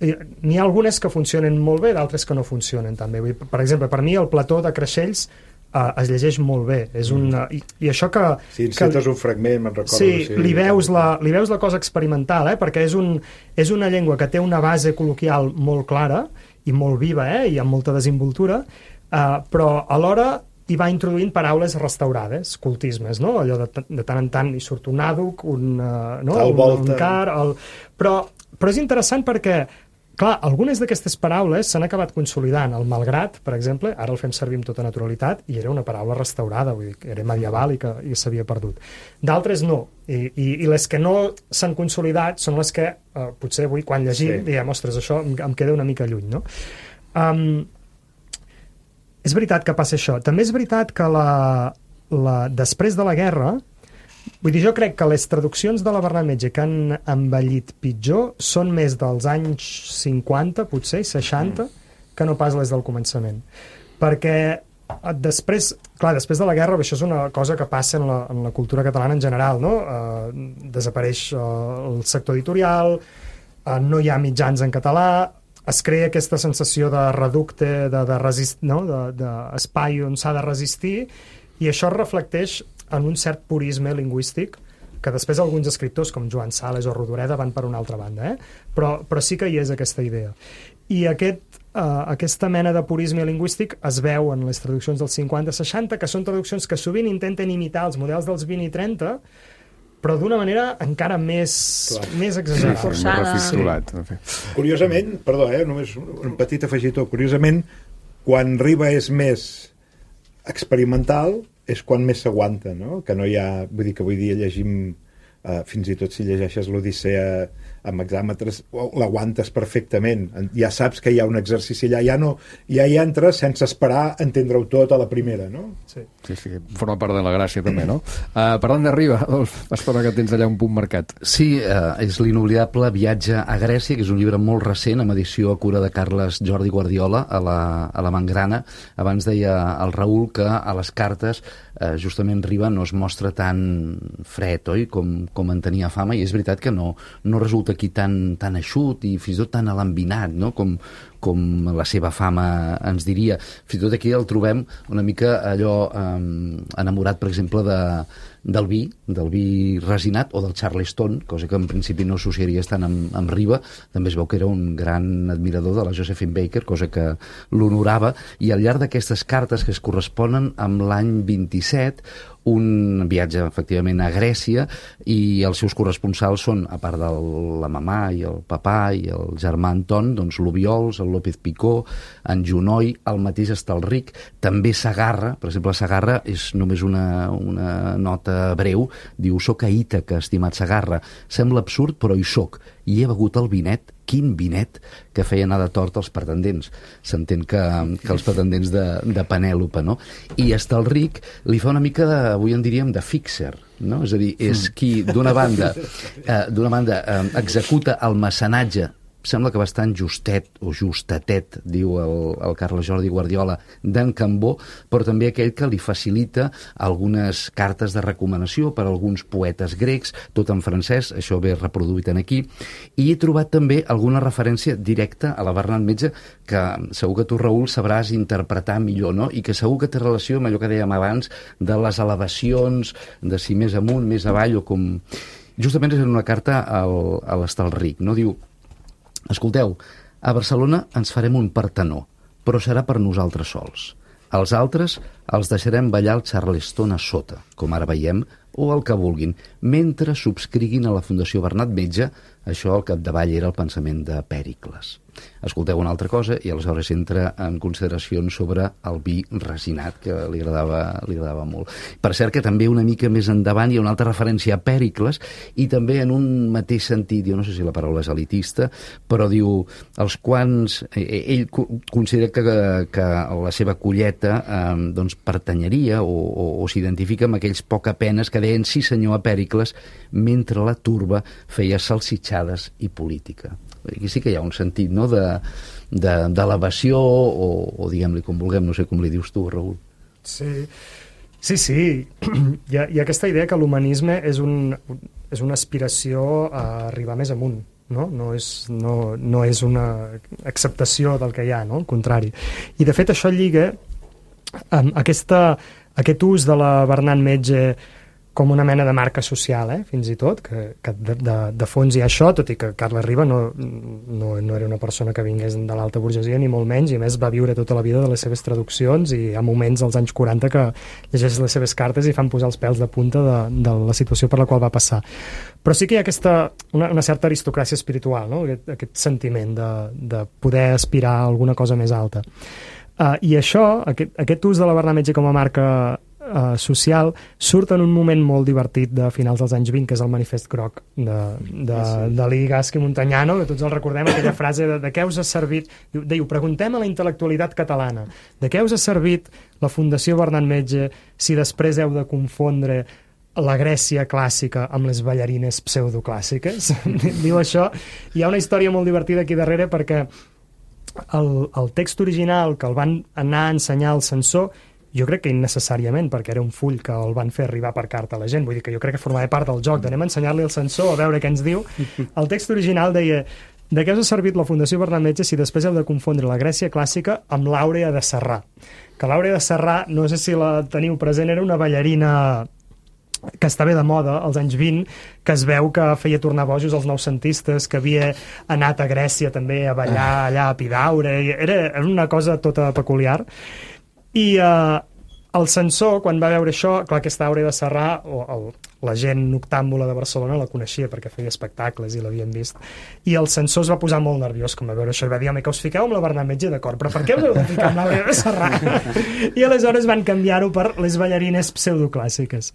n'hi ha algunes que funcionen molt bé, d'altres que no funcionen tan bé. Per exemple, per mi el Plató de Creixells Uh, es llegeix molt bé, és un, uh, i, i això que... Sí, encetes un fragment, me'n recordo. Sí, sí, li, veus la, li veus la cosa experimental, eh? Perquè és, un, és una llengua que té una base col·loquial molt clara i molt viva, eh? I amb molta desenvoltura, uh, però alhora hi va introduint paraules restaurades, cultismes, no? Allò de, de tant en tant hi surt un àduc, un, uh, no? el un, un car... El... Però, però és interessant perquè clar, algunes d'aquestes paraules s'han acabat consolidant. El malgrat, per exemple, ara el fem servir amb tota naturalitat i era una paraula restaurada, vull dir, que era medieval i que i s'havia perdut. D'altres no, I, i, i les que no s'han consolidat són les que eh, potser avui quan llegim sí. diem, ostres, això em, em queda una mica lluny, no? Um, és veritat que passa això. També és veritat que la, la, després de la guerra Vull dir, jo crec que les traduccions de la Bernat Metge que han envellit pitjor són més dels anys cinquanta, potser, seixanta, mm. que no pas les del començament. Perquè després, clar, després de la guerra, això és una cosa que passa en la, en la cultura catalana en general, no? Uh, desapareix uh, el sector editorial, uh, no hi ha mitjans en català, es crea aquesta sensació de reducte, de, de resist, no? de, de espai on s'ha de resistir, i això es reflecteix en un cert purisme lingüístic que després alguns escriptors com Joan Sales o Rodoreda van per una altra banda, eh? però, però sí que hi és aquesta idea. I aquest, uh, aquesta mena de purisme lingüístic es veu en les traduccions dels cinquanta seixanta, que són traduccions que sovint intenten imitar els models dels vint i trenta, però d'una manera encara més, més exagerada. Forçada. Sí. Curiosament, perdó, eh, només un petit afegitó, curiosament, quan Riba és més experimental, és quan més s'aguanta, no? Que no hi ha... Vull dir que avui dia llegim, eh, fins i tot si llegeixes l'Odissea amb hexàmetres, l'aguantes perfectament. Ja saps que hi ha un exercici allà, ja, no, ja hi entres sense esperar entendre-ho tot a la primera, no? Sí, sí, sí, forma part de la gràcia també, no? Uh, parlant de Riba, espero que tens allà un punt marcat. Sí, uh, és l'inoblidable Viatge a Grècia, que és un llibre molt recent, amb edició a cura de Carles Jordi Guardiola, a la, a la Mangrana. Abans deia el Raül que a les cartes uh, justament Riba no es mostra tan fred, oi?, com, com en tenia fama, i és veritat que no, no resulta aquí tan, tan eixut i fins i tot tan alambinat, no? com, com la seva fama ens diria. Fins i tot aquí el trobem una mica allò eh, enamorat, per exemple, de, del vi, del vi resinat o del Charleston, cosa que en principi no associaries tant amb, amb Riba. També es veu que era un gran admirador de la Josephine Baker, cosa que l'honorava, i al llarg d'aquestes cartes que es corresponen amb l'any vint-i-set, un viatge efectivament a Grècia, i els seus corresponsals són, a part de la mamà i el papà i el germà Anton, doncs l'Obiols, el López Picó, en Junoy, el mateix Estalric, també Sagarra. Per exemple, Sagarra és només una, una nota breu, diu: soc a Ítaca, estimat Sagarra, sembla absurd però hi soc, i he begut el vinet, quin vinet, que feia anar de tort als pretendents. S'entén que, que els pretendents de, de Penèlope, no? I Estalric li fa una mica, de, avui en diríem, de fixer, no? És a dir, és qui, d'una banda, eh, d'una banda eh, executa el mecenatge, sembla que bastant justet o justatet, diu el, el Carles Jordi Guardiola, d'en Cambó, però també aquell que li facilita algunes cartes de recomanació per a alguns poetes grecs, tot en francès, això ve reproduït en aquí, i he trobat també alguna referència directa a la Bernat Metge, que segur que tu, Raül, sabràs interpretar millor, no? I que segur que té relació amb allò que dèiem abans de les elevacions, de si més amunt, més avall, o com... Justament és en una carta al, a l'Estalric, no? Diu: escolteu, a Barcelona ens farem un Partenó, però serà per nosaltres sols. Els altres els deixarem ballar el Charleston a sota, com ara veiem, o el que vulguin, mentre subscriguin a la Fundació Bernat Metge. Això al capdavall era el pensament de Pèricles. Escolteu una altra cosa i aleshores entra en consideracions sobre el vi resinat, que li agradava, li agradava molt. Per cert que també una mica més endavant hi ha una altra referència a Pèricles, i també en un mateix sentit, jo no sé si la paraula és elitista, però diu, els quants... Ell considera que, que la seva colleta eh, doncs pertanyeria o, o, o s'identifica amb aquells pocapenes que deien sí senyor a Pèricles, mentre la turba feia salsitxades i política. Aquí sí que hi ha un sentit, no?, d'elevació, o, o diguem-li com vulguem, no sé com li dius tu, Raül. Sí, sí, sí. Hi ha, hi ha aquesta idea que l'humanisme és, un, és una aspiració a arribar més amunt, no? No és, no, no és una acceptació del que hi ha, no? Al contrari. I de fet això lliga amb aquesta, aquest ús de la Bernat Metge com una mena de marca social, eh? Fins i tot, que, que de, de, de fons hi ha això, tot i que Carles Riba no, no, no era una persona que vingués de l'alta burgesia, ni molt menys, i a més va viure tota la vida de les seves traduccions, i hi ha moments als anys quaranta que llegeixes les seves cartes i fan posar els pèls de punta de, de la situació per la qual va passar. Però sí que hi ha aquesta, una, una certa aristocràcia espiritual, no? Aquest, aquest sentiment de, de poder aspirar a alguna cosa més alta. Uh, I això, aquest, aquest ús de la Bernat Metge com a marca Uh, social, surt en un moment molt divertit de finals dels anys vint, que és el Manifest Groc de, de, sí. de Lee Gasc i Montanyano, que tots el recordem, aquella frase de, de què us ha servit, diu, diu, preguntem a la intel·lectualitat catalana, de què us ha servit la Fundació Bernat Metge si després heu de confondre la Grècia clàssica amb les ballarines pseudoclàssiques. Diu això. Hi ha una història molt divertida aquí darrere perquè el, el text original que el van anar a ensenyar al censor, jo crec que innecessàriament, perquè era un full que el van fer arribar per carta a la gent, vull dir que jo crec que formava part del joc d'anem a ensenyar-li al censor a veure què ens diu. El text original deia: de què us ha servit la Fundació Bernat Metge si després heu de confondre la Grècia clàssica amb l'Àurea de Serrà? Que l'Àurea de Serrà, no sé si la teniu present, era una ballarina que està bé de moda als anys vint, que es veu que feia tornar bojos als noucentistes, que havia anat a Grècia també a ballar allà a Epidaure, era, era una cosa tota peculiar. I eh, el censor, quan va veure això, clar, aquesta Àurea de Serrà, o el, la gent noctàmbula de Barcelona la coneixia perquè feia espectacles i l'havien vist, i el censor es va posar molt nerviós com va veure això i va dir: home, que us fiqueu amb la Bernat Metge, d'acord, però per què us heu de ficar amb l'Àurea de Serrà? I aleshores van canviar-ho per les ballarines pseudoclàssiques.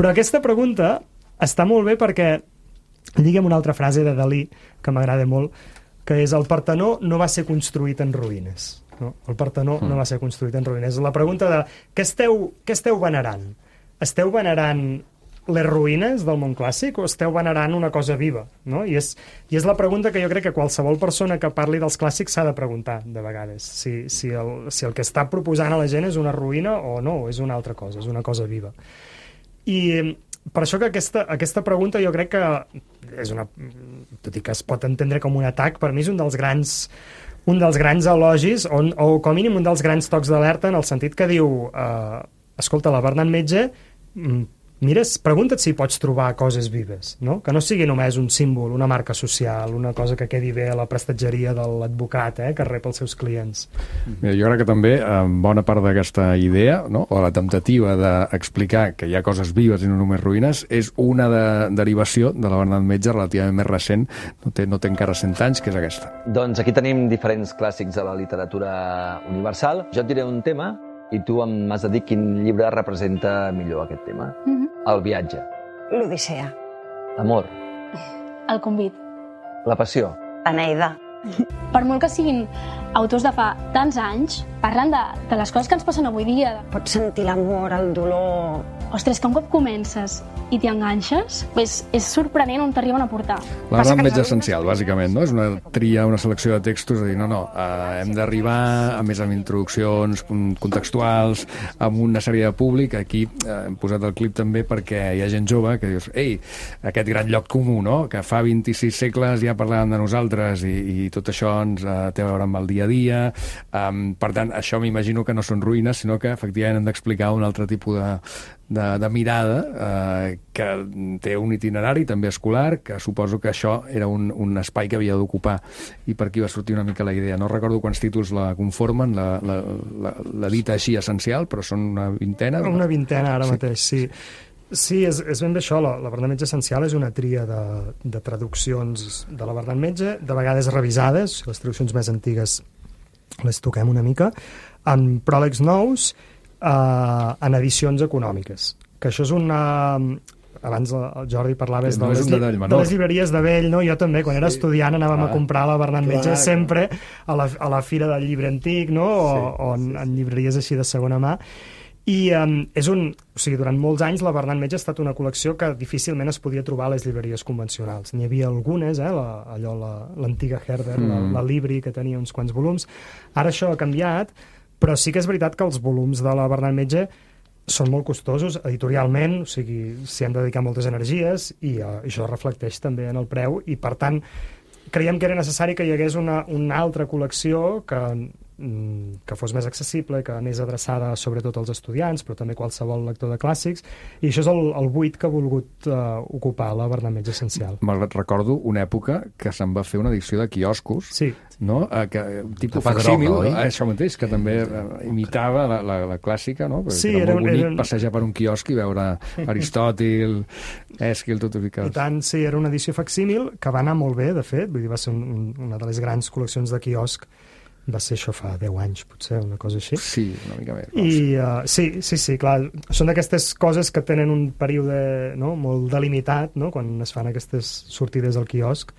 Però aquesta pregunta està molt bé perquè lliga amb una altra frase de Dalí que m'agrada molt, que és: el Partenó no va ser construït en ruïnes. No? El Partenó mm. no va ser construït en ruïnes. La pregunta de què esteu, què esteu venerant? Esteu venerant les ruïnes del món clàssic o esteu venerant una cosa viva? No? I, és, I és la pregunta que jo crec que qualsevol persona que parli dels clàssics s'ha de preguntar de vegades. Si, si, el, si el que està proposant a la gent és una ruïna o no, és una altra cosa, és una cosa viva. I per això que aquesta, aquesta pregunta jo crec que és una, tot i que es pot entendre com un atac, per mi és un dels grans un dels grans elogis, on, o com a mínim un dels grans tocs d'alerta, en el sentit que diu eh, escolta, la Bernat Metge, mires, pregunta't si pots trobar coses vives, no? Que no sigui només un símbol, una marca social, una cosa que quedi bé a la prestatgeria de l'advocat, eh, que rep els seus clients. Mira, jo crec que també eh, bona part d'aquesta idea, no? O la temptativa d'explicar que hi ha coses vives i no només ruïnes, és una de, derivació de la Bernat Metge relativament més recent, no té, no té encara cent anys, que és aquesta. Doncs aquí tenim diferents clàssics de la literatura universal. Jo et diré un tema i tu m'has de dir quin llibre representa millor aquest tema. Mm-hmm. El viatge. L'Odissea. L'amor. El convit. La passió. L'Eneida. Per molt que siguin autors de fa tants anys, parlen de, de les coses que ens passen avui dia. Pots sentir l'amor, el dolor... Ostres, que un cop comences i t'hi enganxes, pues és sorprenent on t'arriben a portar. La Bernat Metge essencial, bàsicament, no? És una tria, una selecció de textos, de dir, no, no, eh, hem d'arribar, a més amb introduccions contextuals, amb una sèrie de públic. Aquí eh, hem posat el clip també perquè hi ha gent jove que dius, ei, aquest gran lloc comú, no?, que fa vint-i-sis segles ja parlàvem de nosaltres i, i tot això ens eh, té a veure amb el dia a dia. Um, per tant, això m'imagino que no són ruïnes, sinó que efectivament hem d'explicar un altre tipus de De, de mirada eh, que té un itinerari també escolar, que suposo que això era un, un espai que havia d'ocupar i per aquí va sortir una mica la idea. No recordo quants títols la conformen, la, la, la, la dita així essencial, però són una vintena. Una vintena ara sí. mateix, sí. Sí, és, és ben bé això, la, la Bernat Metge essencial és una tria de, de traduccions de la Bernat Metge, de vegades revisades, les traduccions més antigues les toquem una mica, amb pròlegs nous, Uh, en edicions econòmiques, que això és una... Abans el Jordi parlaves no de, les, de, de les llibreries de vell, no? Jo també, quan sí. era estudiant anàvem ah, a comprar la Bernat Metge clar, sempre a la, a la fira del llibre antic, no? O, sí, o en, sí. en llibreries així de segona mà. I um, és un... O sigui, durant molts anys la Bernat Metge ha estat una col·lecció que difícilment es podia trobar a les llibreries convencionals. N'hi havia algunes, eh? La, allò, l'antiga la, Herder, mm. la, la Libri, que tenia uns quants volums. Ara això ha canviat, però sí que és veritat que els volums de la Bernat Metge són molt costosos editorialment, o sigui, s'hi han de dedicar moltes energies i uh, això reflecteix també en el preu i, per tant, creiem que era necessari que hi hagués una, una altra col·lecció que, que fos més accessible, que anés adreçada sobretot als estudiants, però també qualsevol lector de clàssics, i això és el, el buit que ha volgut uh, ocupar la Bernat Metge essencial. Malgrat recordo una època que se'n va fer una edició de quioscos, sí. no? Uh, que, tipus facsímil, eh? Això mateix, que també uh, imitava la, la, la clàssica, no? Perquè sí, era, era molt bonic era... passejar per un quiosc i veure Aristòtil, Èsquil, tot ubicat. I tant, sí, era una edició facsímil que va anar molt bé, de fet, vull dir, va ser un, una de les grans col·leccions de quiosc. Va ser això fa deu anys, potser, una cosa així. Sí, una mica més. I, uh, sí, sí, sí, clar, són d'aquestes coses que tenen un període, no?, molt delimitat, no?, quan es fan aquestes sortides al quiosc,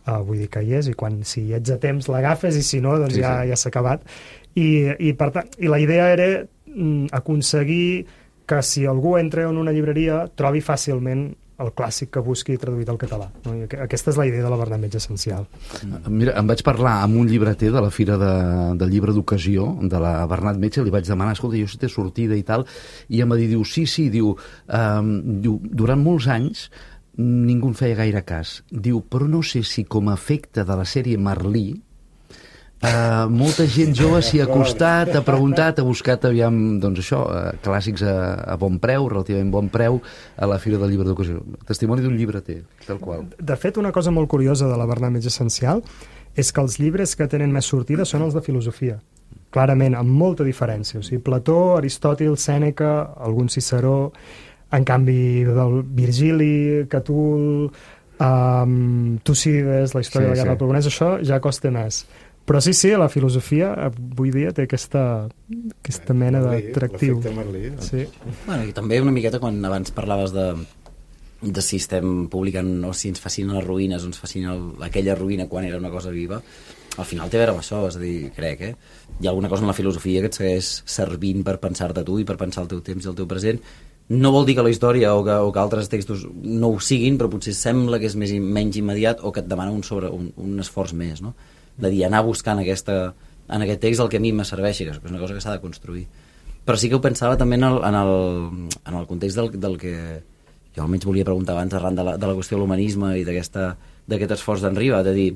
uh, vull dir que hi és, i quan, si ets a temps l'agafes, i si no, doncs sí, ja, sí. ja s'ha acabat. I, i, per tant, i la idea era mm, aconseguir que si algú entra en una llibreria trobi fàcilment el clàssic que busqui traduït al català. No? I aquesta és la idea de la Bernat Metge essencial. Mira, em vaig parlar amb un llibreter de la Fira de, del Llibre d'Ocasió, de la Bernat Metge, li vaig demanar, escolta, jo si té sortida i tal, i em va dir, diu, sí, sí, diu, um, diu, durant molts anys ningú en feia gaire cas. Diu, però no sé si com a efecte de la sèrie Merlí, Uh, molta gent jove s'hi ha acostat, ha preguntat, ha buscat, aviam, doncs això, uh, clàssics a, a bon preu, relativament bon preu, a la Fira del Llibre d'Ocasió. Testimoni d'un llibreter, tal qual. De fet, una cosa molt curiosa de la Bernat Metge essencial és que els llibres que tenen més sortida són els de filosofia. Clarament, amb molta diferència. O sigui, Plató, Aristòtil, Sèneca, algun Ciceró, en canvi, del Virgili, Catul, um, Tucídides, la història sí, de la Guerra sí. Peloponès, això ja costa més. Però sí, sí, la filosofia avui dia té aquesta, aquesta mena d'atractiu. L'efecte Merlí. Sí. Bueno, i també una miqueta quan abans parlaves de, de si estem publicant o si ens fascinen les ruïnes o ens fascina el, aquella ruïna quan era una cosa viva, al final té a veure amb això, és a dir, crec, eh? Hi ha alguna cosa en la filosofia que et segueix servint per pensar-te tu i per pensar el teu temps i el teu present. No vol dir que la història o que, o que altres textos no ho siguin, però potser sembla que és més, menys immediat o que et demana un, sobre, un, un esforç més, no? De dir, anar buscant aquesta, en aquest text el que a mi me serveixi, que és una cosa que s'ha de construir. Però sí que ho pensava també en el, en el, en el context del, del que jo almenys volia preguntar abans arran de la, de la qüestió de l'humanisme i d'aquest esforç d'en Riba, de dir,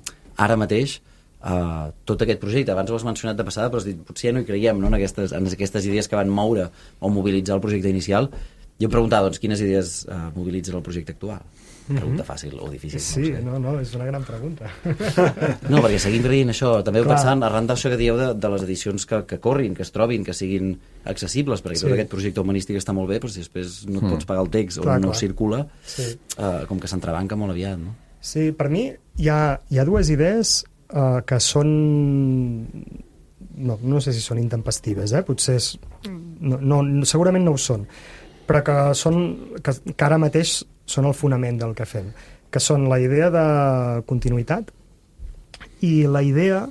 ara mateix, uh, tot aquest projecte, abans ho has mencionat de passada, però has dit, potser ja no hi creiem, no?, en, aquestes, en aquestes idees que van moure o mobilitzar el projecte inicial. Jo em preguntava, doncs, quines idees uh, mobilitzen el projecte actual? Pregunta fàcil o difícil. Sí, no, no, no, és una gran pregunta. No, perquè seguim dient això, també ho pensant arran d'això que dieu de, de les edicions que, que corrin, que es trobin, que siguin accessibles, perquè sí. Tot aquest projecte humanístic està molt bé, però si després no et pots pagar el text o clar, no clar. circula, sí. uh, com que s'entrebanca molt aviat, no? Sí, per mi hi ha, hi ha dues idees uh, que són... No, no sé si són intempestives, eh? Potser és... No, no, segurament no ho són, però que són que, que ara mateix són el fonament del que fem, que són la idea de continuïtat i la idea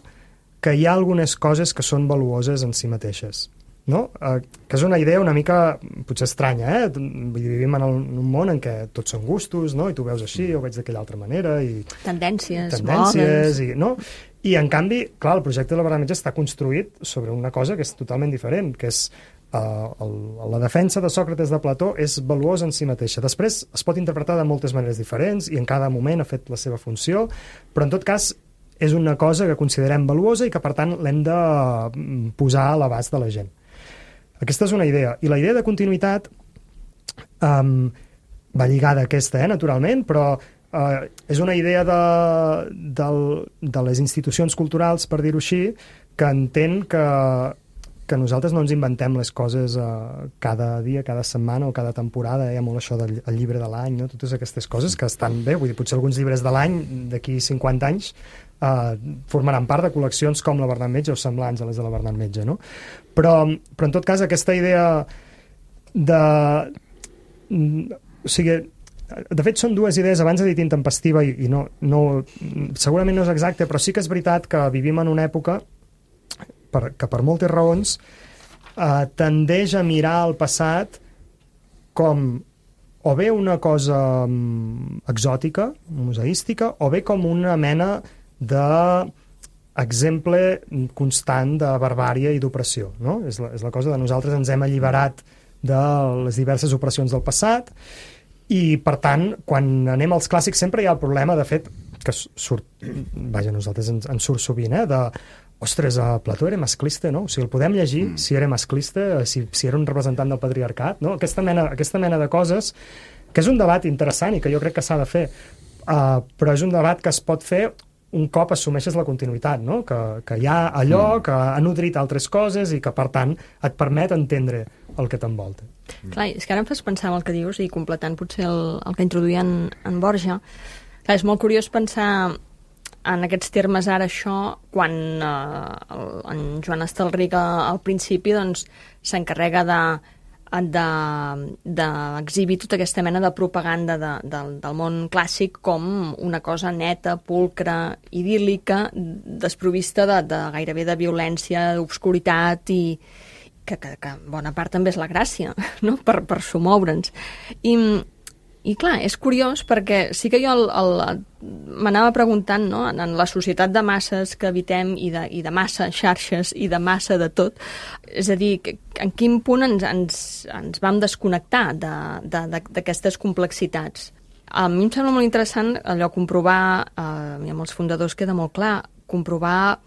que hi ha algunes coses que són valuoses en si mateixes, no? Eh, que és una idea una mica, potser estranya, eh? Vivim en, el, en un món en què tots són gustos, no? I tu veus així, o veig d'aquella altra manera, i... Tendències, tendències i, no? I, en canvi, clar, el projecte de la Bernat Metge està construït sobre una cosa que és totalment diferent, que és Uh, el, la defensa de Sòcrates de Plató és valuosa en si mateixa. Després es pot interpretar de moltes maneres diferents i en cada moment ha fet la seva funció, però en tot cas és una cosa que considerem valuosa i que per tant l'hem de posar a l'abast de la gent. Aquesta és una idea. I la idea de continuïtat um, va lligada a aquesta, eh, naturalment, però uh, és una idea de, de, de les institucions culturals, per dir-ho així, que entén que que nosaltres no ens inventem les coses uh, cada dia, cada setmana o cada temporada, hi ha molt això del el llibre de l'any, no? Totes aquestes coses que estan bé, vull dir, potser alguns llibres de l'any d'aquí cinquanta anys uh, formaran part de col·leccions com la Bernat Metge o semblants a les de la Bernat Metge, no? Però, però en tot cas aquesta idea de... O sigui, de fet són dues idees, abans he dit intempestiva i, i no, no, segurament no és exacte, però sí que és veritat que vivim en una època Per, que per moltes raons eh, tendeix a mirar el passat com o bé una cosa um, exòtica, museística, o bé com una mena d'exemple constant de barbària i d'opressió, no? És la, és la cosa de nosaltres ens hem alliberat de les diverses opressions del passat i, per tant, quan anem als clàssics sempre hi ha el problema, de fet, que surt, vaja, nosaltres ens, ens surt sovint, eh, de ostres, uh, Plató era masclista, no? O sigui, el podem llegir mm. si era masclista, si, si era un representant del patriarcat, no? Aquesta mena, aquesta mena de coses, que és un debat interessant i que jo crec que s'ha de fer, uh, però és un debat que es pot fer un cop assumeixes la continuïtat, no? Que, que hi ha allò mm. que ha nodrit altres coses i que, per tant, et permet entendre el que t'envolta. Mm. Clar, és que ara em fas pensar en el que dius i completant potser el, el que introduïa en, en Borja. Clar, és molt curiós pensar en aquests termes ara això, quan eh, el, en Joan Estelric al principi doncs, s'encarrega de, de, d'exhibir tota aquesta mena de propaganda de, de, del món clàssic com una cosa neta, pulcra, idíl·lica, desprovista de, de gairebé de violència, d'obscuritat i, que, que, que bona part també és la gràcia, no? per, per somoure'ns. I, I clar, és curiós perquè sí que jo el, el, m'anava preguntant, no? en, en la societat de masses que habitem i de, i de massa xarxes i de massa de tot, és a dir, que, en quin punt ens, ens, ens vam desconnectar d'aquestes complexitats. A mi em sembla molt interessant allò comprovar, eh, i amb els fundadors queda molt clar, comprovar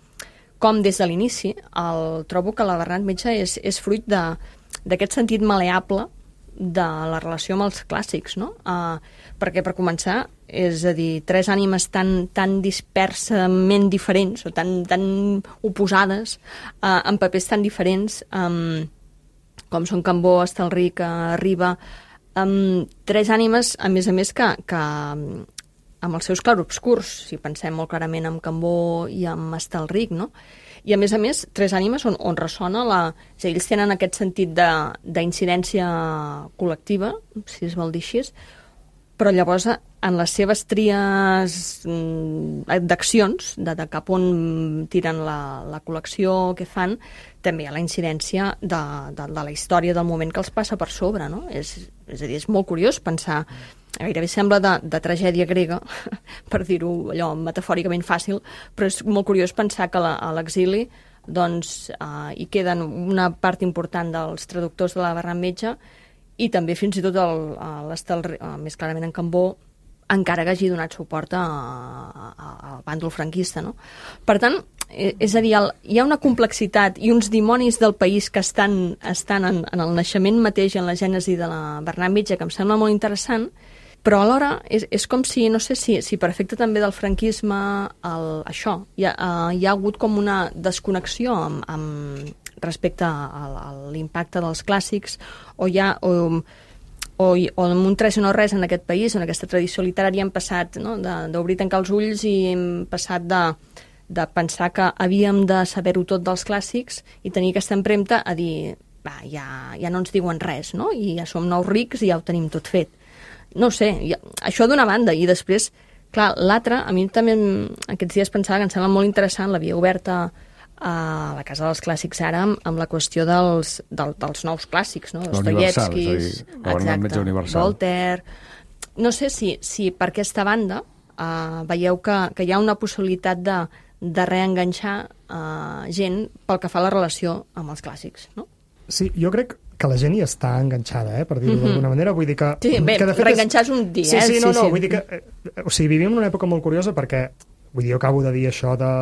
com des de l'inici el, trobo que la Bernat Metge és, és fruit d'aquest sentit maleable de la relació amb els clàssics, no? Uh, perquè, per començar, és a dir, tres ànimes tan, tan dispersament diferents o tan, tan oposades uh, en papers tan diferents um, com són Cambó, Estelric, uh, Riba, um, tres ànimes, a més a més, que, que amb els seus clarobscurs, si pensem molt clarament en Cambó i amb Estelric, no? I, a més a més, tres ànimes on, on ressona la... O sigui, ells tenen aquest sentit d'incidència col·lectiva, si es vol dir així, però llavors en les seves tries d'accions, de, de cap on tiren la, la col·lecció que fan, també hi ha la incidència de, de, de la història del moment que els passa per sobre, no? És, és a dir, és molt curiós pensar... Gairebé sembla de, de tragèdia grega, per dir-ho allò metafòricament fàcil, però és molt curiós pensar que la, a l'exili doncs, eh, hi queden una part important dels traductors de la Bernat Metge i també fins i tot l'Estel, més clarament en Cambó, encara que hagi donat suport al bàndol franquista. No? Per tant, és a dir, el, hi ha una complexitat i uns dimonis del país que estan, estan en, en el naixement mateix, en la gènesi de la Bernat Metge, que em sembla molt interessant, però alhora és, és com si, no sé si, si per efecte també del franquisme, el, això, hi ha, uh, hi ha hagut com una desconnexió amb, amb, respecte a, a l'impacte dels clàssics, o hi ha... O, o, o amb un tres o no res en aquest país, en aquesta tradició literària hem passat, no?, d'obrir tancar els ulls i hem passat de, de pensar que havíem de saber-ho tot dels clàssics i tenir aquesta empremta a dir, va, ja, ja no ens diuen res, no?, i ja som nous rics i ja ho tenim tot fet. No sé, ja, això d'una banda, i després, clar, l'altra, a mi també aquests dies pensava que em sembla molt interessant la via oberta a la Casa dels Clàssics ara amb, amb la qüestió dels, del, dels nous clàssics, no? Dostoievskis, exacte, Voltaire... No sé si, si per aquesta banda uh, veieu que, que hi ha una possibilitat de, de reenganxar uh, gent pel que fa a la relació amb els clàssics, no? Sí, jo crec que la gent hi està enganxada, eh, per dir-ho mm-hmm. d'alguna manera. Vull dir que... Sí, bé, que reenganxar és un dia, sí, eh? Sí, no, sí, no, sí. vull dir que... Eh, o sigui, vivim en una època molt curiosa perquè, vull dir, jo acabo de dir això de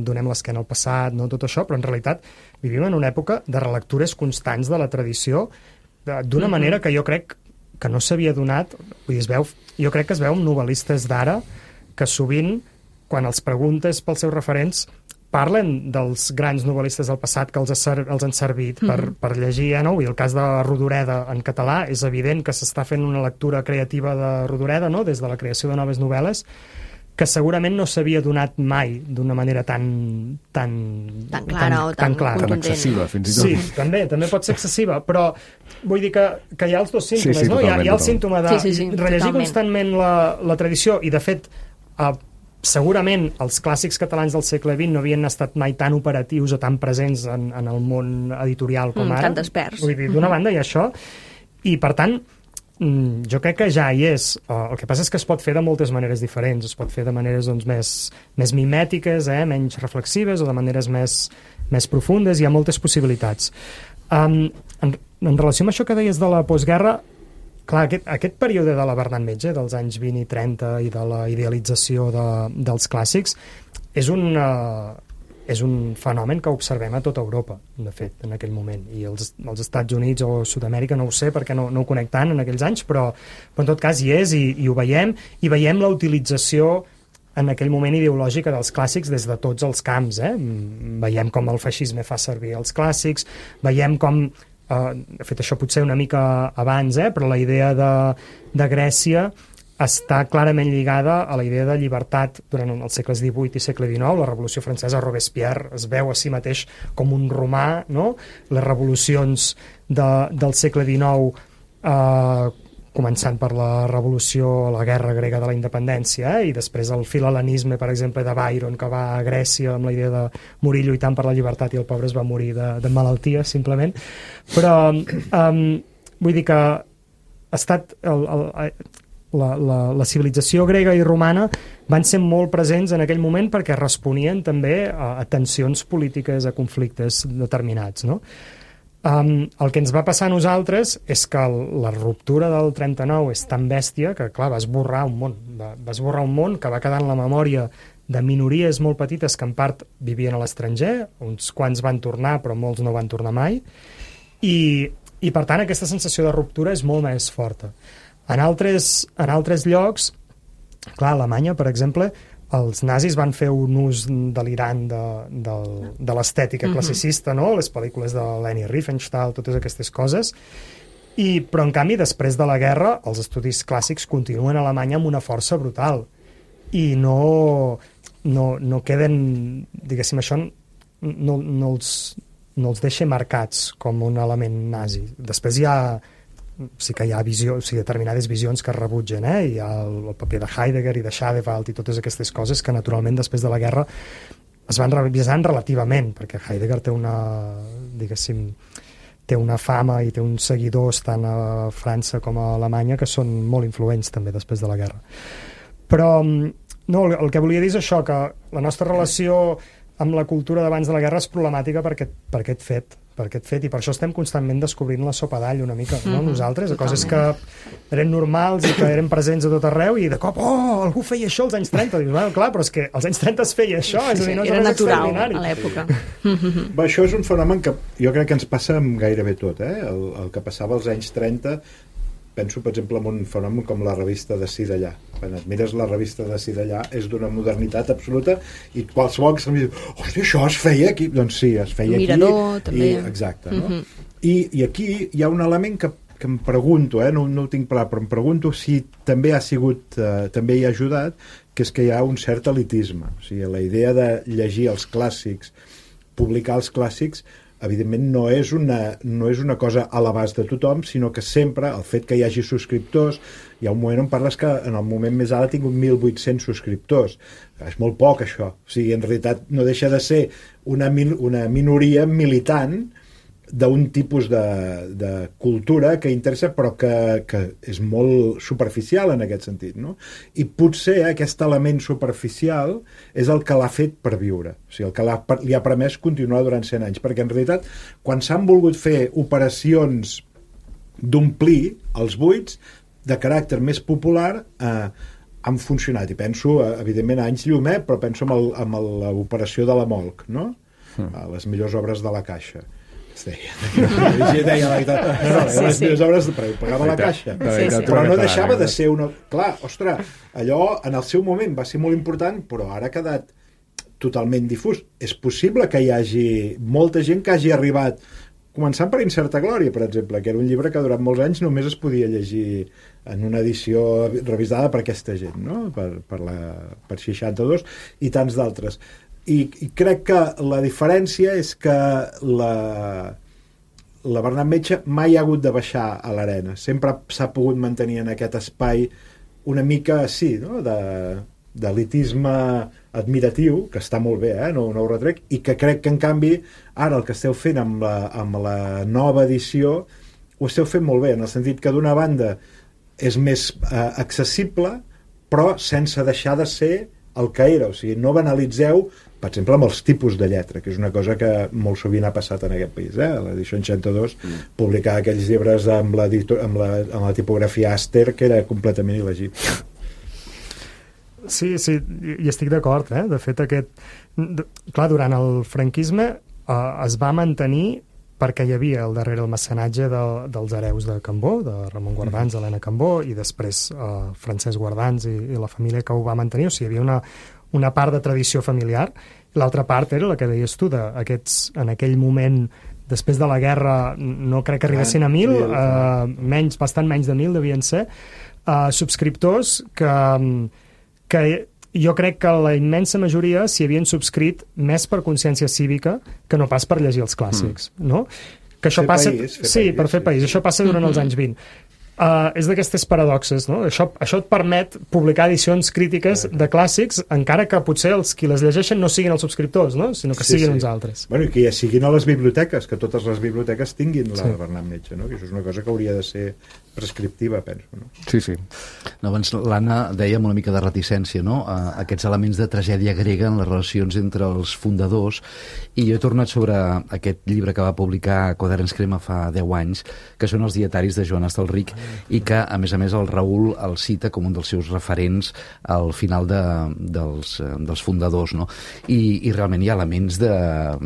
donem l'esquena al passat, no, tot això, però en realitat vivim en una època de relectures constants de la tradició d'una mm-hmm. manera que jo crec que no s'havia donat, vull dir, es veu, jo crec que es veu amb novel·listes d'ara que sovint, quan els preguntes pels seus referents, parlen dels grans novel·listes del passat que els, ha, els han servit per, mm-hmm. per llegir, eh, no? I el cas de Rodoreda en català, és evident que s'està fent una lectura creativa de Rodoreda, no?, des de la creació de noves novel·les, que segurament no s'havia donat mai d'una manera tan... Tan, tan clara tan, o tan, tan, clara. Tan excessiva, fins i tot. Sí, també, també pot ser excessiva, però vull dir que, que hi ha els dos símptomes, sí, sí, no? Hi ha, hi ha el totalment. símptoma de sí, sí, sí, rellegir totalment. constantment la, la tradició, i de fet... Uh, segurament els clàssics catalans del segle vint no havien estat mai tan operatius o tan presents en, en el món editorial com mm, ara. Tan desperts. Vull dir, d'una banda hi ha això, i per tant jo crec que ja hi és. El que passa és que es pot fer de moltes maneres diferents, es pot fer de maneres doncs, més, més mimètiques, eh, menys reflexives, o de maneres més, més profundes, hi ha moltes possibilitats. Um, en, en relació amb això que deies de la postguerra, clar, aquest, aquest període de la Bernat Metge, dels anys vint i trenta, i de la idealització de, dels clàssics, és un, uh, és un fenomen que observem a tota Europa, de fet, en aquell moment. I els, els Estats Units o Sud-amèrica no ho sé, perquè no, no ho conec tant en aquells anys, però, però en tot cas hi és, i, i ho veiem, i veiem la utilització en aquell moment ideològica dels clàssics des de tots els camps. Eh? Veiem com el feixisme fa servir els clàssics, veiem com... Uh, de fet, això potser una mica abans, eh? Però la idea de, de Grècia està clarament lligada a la idea de llibertat durant els segles divuit i segle dinou. La Revolució Francesa, Robespierre es veu a si mateix com un romà, no? Les revolucions de, del segle dinou eh, començant per la revolució, la guerra grega de la independència, eh? I després el filhelenisme, per exemple, de Byron, que va a Grècia amb la idea de morir lluitant per la llibertat i el pobre es va morir de, de malaltia, simplement. Però um, vull dir que ha estat el, el, la, la, la civilització grega i romana van ser molt presents en aquell moment perquè responien també a, a tensions polítiques, a conflictes determinats, no? Um, el que ens va passar a nosaltres és que el, la ruptura del trenta-nou és tan bèstia que, clar, va esborrar un món, va, va esborrar un món que va quedar en la memòria de minories molt petites que en part vivien a l'estranger, uns quants van tornar però molts no van tornar mai, i, i per tant aquesta sensació de ruptura és molt més forta. En altres, en altres llocs, clar, a Alemanya, per exemple, els nazis van fer un ús delirant de, de, de l'estètica classicista, no? Les pel·lícules de Leni Riefenstahl, totes aquestes coses, i, però en canvi després de la guerra els estudis clàssics continuen a Alemanya amb una força brutal i no, no, no queden, diguéssim, això no, no, els, no els deixa marcats com un element nazi. Després hi ha sí que hi ha visió, o sigui, determinades visions que es rebutgen, eh? Hi ha el, el paper de Heidegger i de Schadewald i totes aquestes coses que naturalment després de la guerra es van revisant relativament, perquè Heidegger té una, diguéssim, té una fama i té uns seguidors tant a França com a Alemanya que són molt influents també després de la guerra. Però no, el, el que volia dir és això, que la nostra relació amb la cultura d'abans de la guerra és problemàtica per aquest, per aquest fet, per aquest fet, i per això estem constantment descobrint la sopa d'all una mica, no? Mm-hmm. Nosaltres, a coses que eren normals i que eren presents a tot arreu, i de cop, oh, algú feia això als anys trenta. Dius, bueno, clar, però és que als anys trenta es feia això, és a dir, no és era natural extraordinari. A l'època. Bé, això és un fenomen que jo crec que ens passa amb gairebé tot, eh? El, el que passava als anys trenta, penso, per exemple, en un fenomen com la revista de Si d'allà. Quan et mires la revista de Si d'allà és d'una modernitat absoluta i qualsevol que se'm diu, hòstia, això es feia aquí. Doncs sí, es feia Mirador, aquí. també. I, exacte, no? Mm-hmm. I, I aquí hi ha un element que, que em pregunto, eh? no, no ho tinc clar, però em pregunto si també ha sigut, eh, també hi ha ajudat, que és que hi ha un cert elitisme. O sigui, la idea de llegir els clàssics, publicar els clàssics, evidentment no és una, no és una cosa a l'abast de tothom, sinó que sempre el fet que hi hagi subscriptors, hi ha un moment on parles que en el moment més alt ha tingut mil vuit-cents subscriptors. És molt poc, això. O sigui, en realitat no deixa de ser una, min, una minoria militant d'un tipus de, de cultura que interessa, però que, que és molt superficial en aquest sentit, no? I potser aquest element superficial és el que l'ha fet per viure, o sigui, el que l'ha, li ha permès continuar durant cent anys, perquè en realitat quan s'han volgut fer operacions d'omplir els buits de caràcter més popular, eh, han funcionat, i penso, evidentment, a anys llum, eh, però penso en l'operació de la Molc, no? Mm. Les millors obres de la Caixa. Es deia, deia la veritat, no, no, sí, les millors obres de pagava la Caixa, sí, sí. Però no deixava de ser una... Clar, ostres, allò en el seu moment va ser molt important, però ara ha quedat totalment difús. És possible que hi hagi molta gent que hagi arribat, començant per Incerta Glòria, per exemple, que era un llibre que durant molts anys només es podia llegir en una edició revisada per aquesta gent, no? Per, per, la, per seixanta-dos i tants d'altres. I, i crec que la diferència és que la, la Bernat Metge mai ha hagut de baixar a l'arena, sempre s'ha pogut mantenir en aquest espai una mica, sí, no? de, d'elitisme admiratiu, que està molt bé, eh? no, no ho retrec, i que crec que en canvi ara el que esteu fent amb la, amb la nova edició ho esteu fent molt bé, en el sentit que d'una banda és més eh, accessible, però sense deixar de ser el que era, o sigui, no banalitzeu, per exemple, amb els tipus de lletra, que és una cosa que molt sovint ha passat en aquest país, eh? L'edició seixanta-dos mm. publicava aquells llibres amb la, amb, la, amb la tipografia Aster, que era completament il·legible. Sí, sí, hi estic d'acord, eh? De fet, aquest... Clar, durant el franquisme eh, es va mantenir perquè hi havia al darrere el mecenatge de, dels hereus de Cambó, de Ramon Guardans, Helena Cambó, i després eh, Francesc Guardans i, i la família que ho va mantenir, o sigui, hi havia una, una part de tradició familiar. L'altra part era la que deies tu, de aquests, en aquell moment, després de la guerra, no crec que arribessin a mil, eh, menys, bastant menys de mil devien ser, eh, subscriptors que, que jo crec que la immensa majoria s'hi havien subscrit més per consciència cívica que no pas per llegir els clàssics, mm. no? Que això fer passa... país, sí, país, per fer sí. país. Això passa durant els anys vint. Uh, és d'aquestes paradoxes, no? Això, això et permet publicar edicions crítiques de clàssics, encara que potser els qui les llegeixen no siguin els subscriptors, no? Sinó que sí, siguin sí. uns altres. Bueno, i que ja siguin a les biblioteques, que totes les biblioteques tinguin la sí. Bernat Metge, no? Que això és una cosa que hauria de ser prescriptiva, penso. No? Sí, sí. No, abans l'Anna deia amb una mica de reticència, no? A, aquests elements de tragèdia grega en les relacions entre els fundadors, i jo he tornat sobre aquest llibre que va publicar Quaderns Crema fa deu anys, que són els dietaris de Joan Estelric, i que, a més a més, el Raül el cita com un dels seus referents al final de, dels, dels fundadors, no? I, i realment hi ha elements de,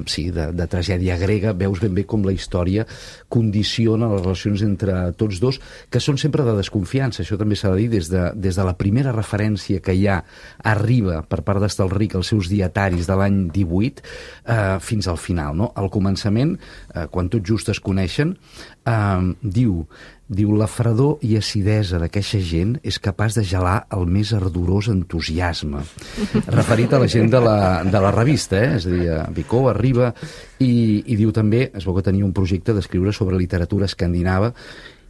sí, de, de tragèdia grega, veus ben bé com la història condiciona les relacions entre tots dos, que són sempre de desconfiança, això també s'ha de dir, des de, des de la primera referència que hi ha arriba per part d'Estelric als seus dietaris de l'any divuit eh, fins al final, no? Al començament, eh, quan tot just es coneixen, eh, diu Diu, la fredor i acidesa d'aqueixa gent és capaç de gelar el més ardorós entusiasme. Referit a la gent de la, de la revista, eh? És a dir, Vicó arriba i, i diu també, es veu que tenia un projecte d'escriure sobre literatura escandinava,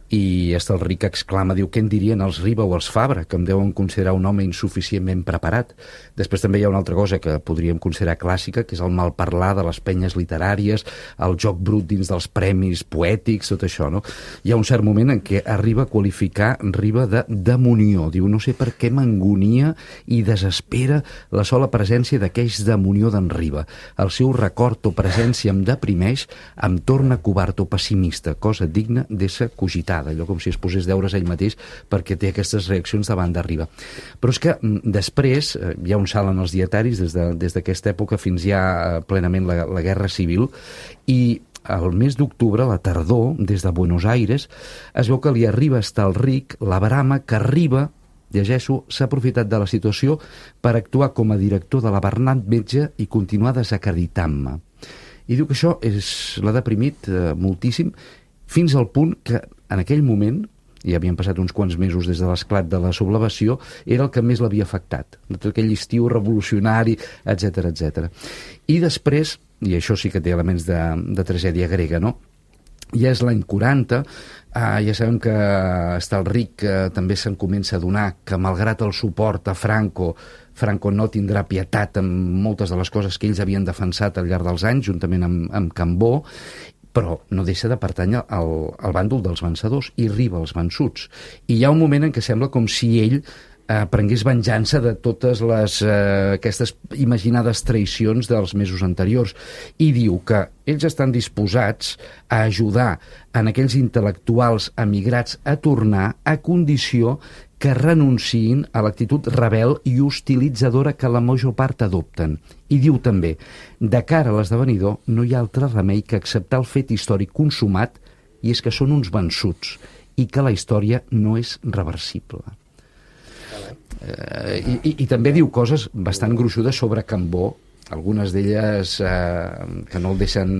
i Estelric exclama, diu, què en dirien els Riba o els Fabra, que em deuen considerar un home insuficientment preparat. Després també hi ha una altra cosa que podríem considerar clàssica, que és el malparlar de les penyes literàries, el joc brut dins dels premis poètics, tot això, no? Hi ha un cert moment en què arriba a qualificar Riba de demonió. Diu, no sé per què m'angonia i desespera la sola presència d'aquells demonió d'en Riba. El seu record o presència em deprimeix, em torna covard o pessimista, cosa digna d'ésser cogitada, allò com si es posés deures ell mateix perquè té aquestes reaccions davant d'Arriba. Però és que després hi ha un salt en els dietaris des de, des d'aquesta època fins ja plenament la, la Guerra Civil, i el mes d'octubre, a la tardor, des de Buenos Aires, es veu que li arriba a Estelric la brama que Riba, llegeixo, s'ha aprofitat de la situació per actuar com a director de la Bernat Metge i continuar desacreditant-me. I diu que això és, l'ha deprimit eh, moltíssim, fins al punt que en aquell moment, i havien passat uns quants mesos des de l'esclat de la sublevació, era el que més l'havia afectat, de tot aquell estiu revolucionari, etcètera, etcètera. I després, i això sí que té elements de, de tragèdia grega, no? Ja és l'any quaranta, eh, ja sabem que Estelric eh, també se'n comença a adonar que, malgrat el suport a Franco, Franco no tindrà pietat amb moltes de les coses que ells havien defensat al llarg dels anys, juntament amb, amb Cambó, però no deixa de pertànyer al, al bàndol dels vencedors i Riba als vençuts. I hi ha un moment en què sembla com si ell eh, prengués venjança de totes les, eh, aquestes imaginades traïcions dels mesos anteriors, i diu que ells estan disposats a ajudar en aquells intel·lectuals emigrats a tornar a condició que renunciïn a l'actitud rebel i hostilitzadora que la major part adopten. I diu també, de cara a l'esdevenidor no hi ha altre remei que acceptar el fet històric consumat, i és que són uns vençuts i que la història no és reversible. Eh, i, i, I també diu coses bastant gruixudes sobre Cambó, algunes d'elles eh, que no el deixen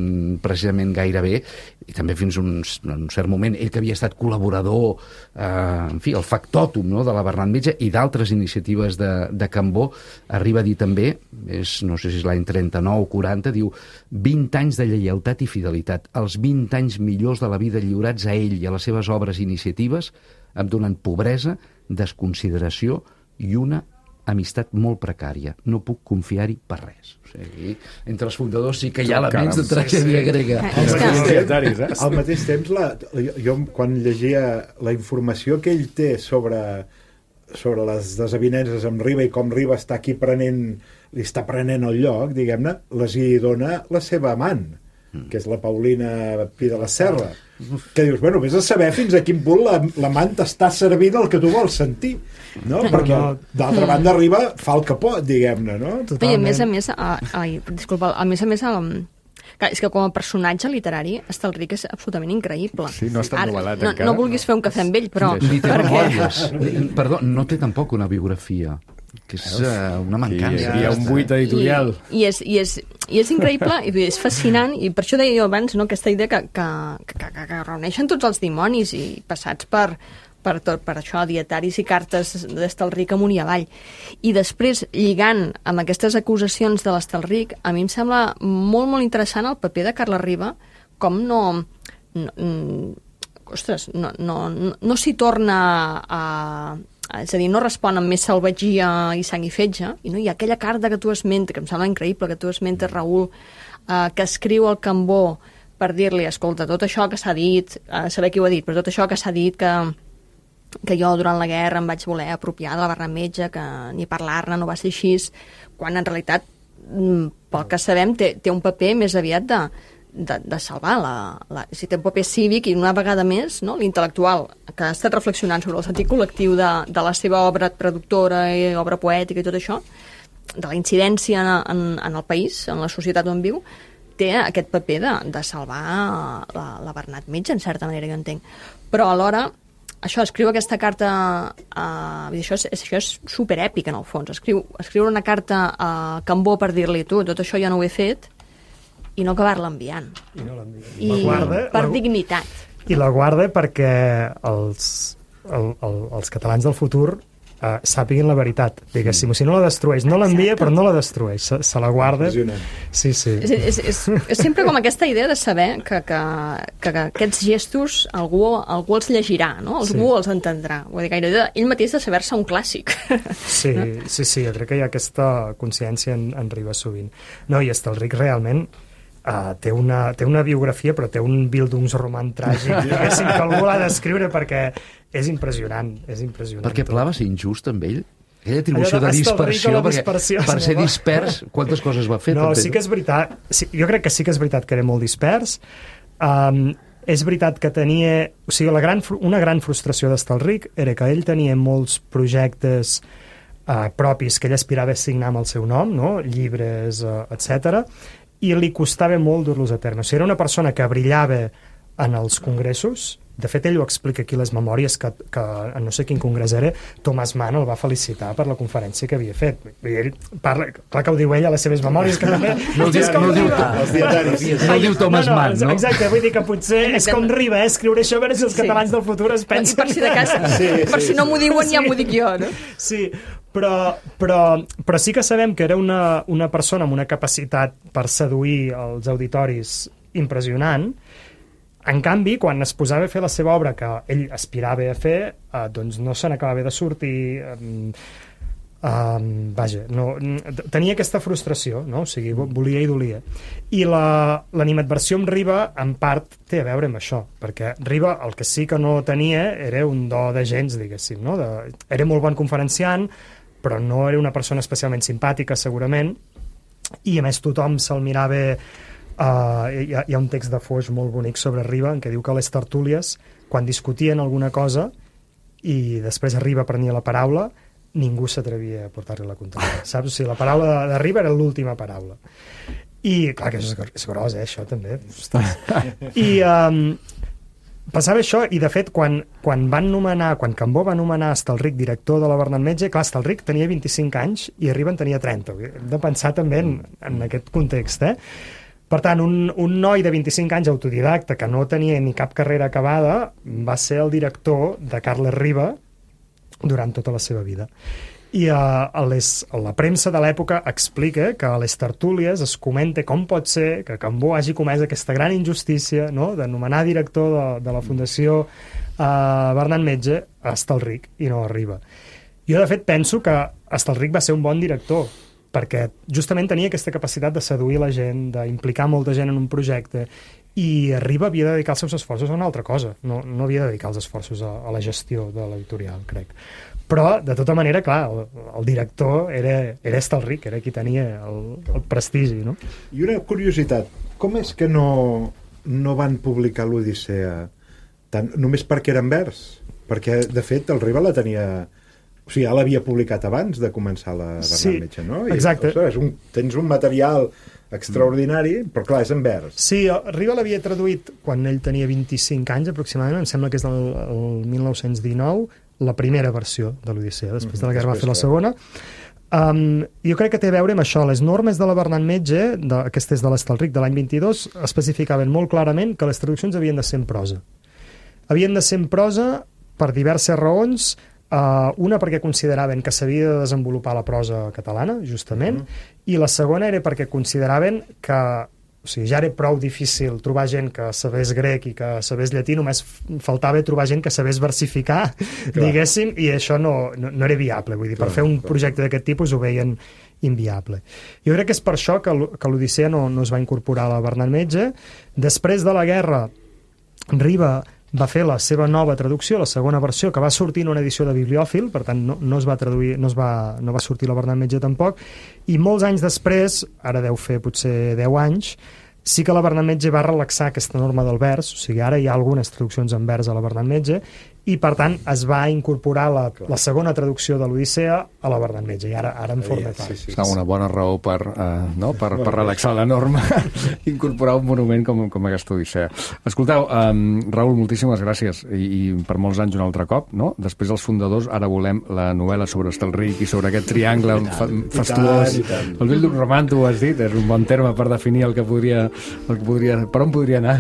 precisament gaire bé, i també fins un, un cert moment, ell que havia estat col·laborador, eh, en fi, el factòtum, no?, de la Bernat Metge i d'altres iniciatives de, de Cambó, arriba a dir també, és, no sé si és l'any trenta-nou o quaranta, diu, vint anys de lleialtat i fidelitat, els vint anys millors de la vida lliurats a ell i a les seves obres i iniciatives em donen pobresa, desconsideració i una amistat molt precària. No puc confiar-hi per res. O sigui, entre els fundadors sí que hi ha elements de tragèdia grega. Al mateix temps, al mateix temps la, jo quan llegia la informació que ell té sobre, sobre les desavinences amb Riba i com Riba està aquí prenent, li està prenent el lloc, diguem-ne, les hi dona la seva amant, que és la Paulina Pi de la Serra, que dius, bueno, vés a saber fins a quin punt l'amant t'està servint el que tu vols sentir, no? Perquè d'altra banda Riba fa el que pot, diguem-ne, no? I a més a més, a, ai, disculpa, a més a més, a, clar, és que com a personatge literari Estelric és absolutament increïble. Sí, no està novel·lat no, encara. No vulguis fer un cafè amb ell, però... Ni té perquè... memòries. Perdó, no té tampoc una biografia, que és uh, una mancança. Hi ha un buit editorial. I, i, és, i, és, I és increïble, i és fascinant, i per això deia jo abans, no?, aquesta idea que, que, que, que, que reuneixen tots els dimonis i passats per, per, tot, per això, dietaris i cartes d'Estelric amunt i avall. I després, lligant amb aquestes acusacions de l'Estelric, a mi em sembla molt, molt interessant el paper de Carles Riba, com no... no ostres, no, no, no, no s'hi torna a... És a dir, no respon amb més salvatgia i sang i fetge, i no hi ha aquella carta que tu esmentes, que em sembla increïble, que tu esmentes, Raül, eh, que escriu al Cambó per dir-li, escolta, tot això que s'ha dit, eh, saber qui ho ha dit, però tot això que s'ha dit que, que jo durant la guerra em vaig voler apropiar de la Bernat Metge, que ni parlar-ne no va ser així, quan en realitat, pel que sabem, té, té un paper més aviat de, de, de salvar la, la, si té un paper cívic i una vegada més, no, l'intel·lectual que ha estat reflexionant sobre el sentit col·lectiu de, de la seva obra productora i obra poètica i tot això, de la incidència en, en, en el país, en la societat on viu, té aquest paper de, de salvar la, la Bernat Metge, en certa manera, jo entenc. Però alhora, això, escriu aquesta carta, uh, això, és, això és superèpic en el fons, escriu, escriure una carta a Cambó per dir-li, tu, tot això ja no ho he fet, i no acabar-la enviant. I no l'envia. I la guarda, per la, dignitat. I la guarda perquè els, el, el, els catalans del futur uh, sàpiguin la veritat, diguéssim. O sigui, no la destrueix, no l'envia, però no la destrueix, se, se la guarda. Sí, sí. És, és, és, és sempre com aquesta idea de saber que, que, que, que aquests gestos algú, algú els llegirà, no? Algú sí. els entendrà. Vull dir, gairebé ell mateix de saber-se un clàssic. Sí, no? sí, sí, jo crec que hi ha aquesta consciència en, en Ribas sovint. No, i Estelric realment Uh, té, una, té una biografia, però té un Bildungsroman tràgic, diguéssim, que algú l'ha d'escriure perquè és impressionant, és impressionant. Perquè Pla va ser injust amb ell? Aquella atribució de, de dispersió, perquè per ser dispers, quantes coses va fer? No, també? sí que és veritat, sí, jo crec que sí que és veritat que era molt dispers, um, és veritat que tenia, o sigui, la gran, una gran frustració d'Estelric era que ell tenia molts projectes uh, propis que ell aspirava a signar amb el seu nom, no? Llibres, uh, etcètera, i li costava molt dur-los a terme. O sigui, era una persona que brillava en els congressos, de fet ell ho explica aquí les memòries, que, que en no sé quin congrés era, Thomas Mann el va felicitar per la conferència que havia fet. Ell parla, clar que ho diu ell a les seves memòries, que també... No, dia, no, diu, els dietaris. No diu Thomas no, no, Mann, no? Exacte, vull dir que potser és com Riba, eh, escriure això, a veure si els catalans sí. del futur es pensen... I per si de cas, sí, per sí, si no m'ho diuen, sí. ja m'ho dic jo, no? Sí, però, però, però sí que sabem que era una, una persona amb una capacitat per seduir els auditoris impressionant. En canvi, quan es posava a fer la seva obra que ell aspirava a fer, eh, doncs no se n'acabava de sortir... Eh, eh, vaja, no, tenia aquesta frustració, no? O sigui, volia i dolia. I l'animadversió amb Riba, en part, té a veure amb això, perquè Riba el que sí que no tenia era un do de gens, diguéssim, no? De, era molt bon conferenciant, però no era una persona especialment simpàtica, segurament, i a més tothom se'l mirava... Uh, hi, ha, hi ha un text de Foix molt bonic sobre Riba en què diu que les tertúlies, quan discutien alguna cosa i després Riba prenia la paraula, ningú s'atrevia a portar-li la contrària, saps? O sigui, la paraula de, de Riba era l'última paraula. I, clar, que és, és gros, eh, això, també. I um, passava això, i de fet, quan, quan van nomenar, quan Cambó va nomenar Estelric director de la Bernat Metge, clar, Estelric tenia vint-i-cinc anys i Riba en tenia trenta. Hem de pensar també en, en aquest context, eh? Per tant, un, un noi de vint-i-cinc anys autodidacta que no tenia ni cap carrera acabada va ser el director de Carles Riba durant tota la seva vida. I uh, a, les, a la premsa de l'època explica que a les tertúlies es comenta com pot ser que Cambó hagi comès aquesta gran injustícia, no?, de nomenar director de, de la Fundació uh, Bernat Metge a Estelric i no a Riba. Jo, de fet, penso que Estelric va ser un bon director, perquè justament tenia aquesta capacitat de seduir la gent, d'implicar molta gent en un projecte, i Riba havia de dedicar els seus esforços a una altra cosa, no, no havia de dedicar els esforços a, a la gestió de l'editorial, crec. Però, de tota manera, clar, el, el director era, era Estelric, era qui tenia el, el prestigi, no? I una curiositat, com és que no, no van publicar l'Odissea tant, només perquè era en vers? Perquè, de fet, el Riba la tenia... O sigui, ja l'havia publicat abans de començar la Bernat sí, Metge, no? I, exacte. Ostres, un, tens un material extraordinari, mm. però clar, és en vers. Sí, Riba l'havia traduït quan ell tenia vint-i-cinc anys aproximadament, em sembla que és del el mil nou-cents dinou, la primera versió de l'Odissea, després mm, de la guerra va fer la segona. Um, jo crec que té a veure amb això. Les normes de la Bernat Metge, de, aquestes de l'Estelric de l'any vint-i-dos, especificaven molt clarament que les traduccions havien de ser en prosa. Havien de ser en prosa per diverses raons. Uh, una perquè consideraven que s'havia de desenvolupar la prosa catalana, justament, uh -huh. i la segona era perquè consideraven que O sigui, ja era prou difícil trobar gent que sabés grec i que sabés llatí, només faltava trobar gent que sabés versificar, clar, diguéssim, i això no, no, no era viable. Vull dir, clar, per fer un clar. projecte d'aquest tipus ho veien inviable. Jo crec que és per això que, que l'Odissea no, no es va incorporar a la Bernat Metge. Després de la guerra, Riba va fer la seva nova traducció, la segona versió, que va sortir en una edició de bibliòfil, per tant no, no es va traduir, no, es va, no va sortir la Bernat Metge tampoc, i molts anys després, ara deu fer potser deu anys, sí que la Bernat Metge va relaxar aquesta norma del vers, o sigui, ara hi ha algunes traduccions en vers a la Bernat Metge, i per tant es va incorporar la, la segona traducció de l'Odissea a la Bernat Metge, i ara, ara en forma part. Sí, sí, sí. Una bona raó per, uh, no? per, per relaxar la norma, incorporar un monument com, com aquesta Odissea. Escolteu, um, Raül, moltíssimes gràcies, I, i per molts anys un altre cop, no? Després dels fundadors, ara volem la novel·la sobre Estelric i sobre aquest triangle fa, fastuós. El Bildung Romant, tu ho has dit, és un bon terme per definir el que podria, el que podria per on podria anar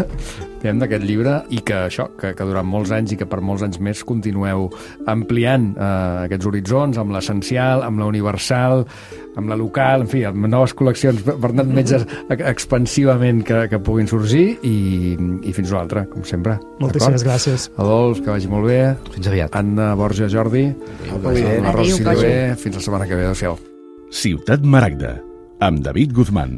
d'aquest llibre, i que això, que, que durant molts anys i que per molts anys més continueu ampliant eh, aquests horitzons amb l'essencial, amb la universal, amb la local, en fi, amb noves col·leccions Bernat Metge expansivament que, que puguin sorgir, i, i fins una altra, com sempre. Moltíssimes gràcies. Adolf, que vagi molt bé. Fins aviat. Anna, Borja, Jordi. La Rosa Silver. Fins la setmana que ve. Adéu-siau. Ciutat Maragda, amb David Guzmán.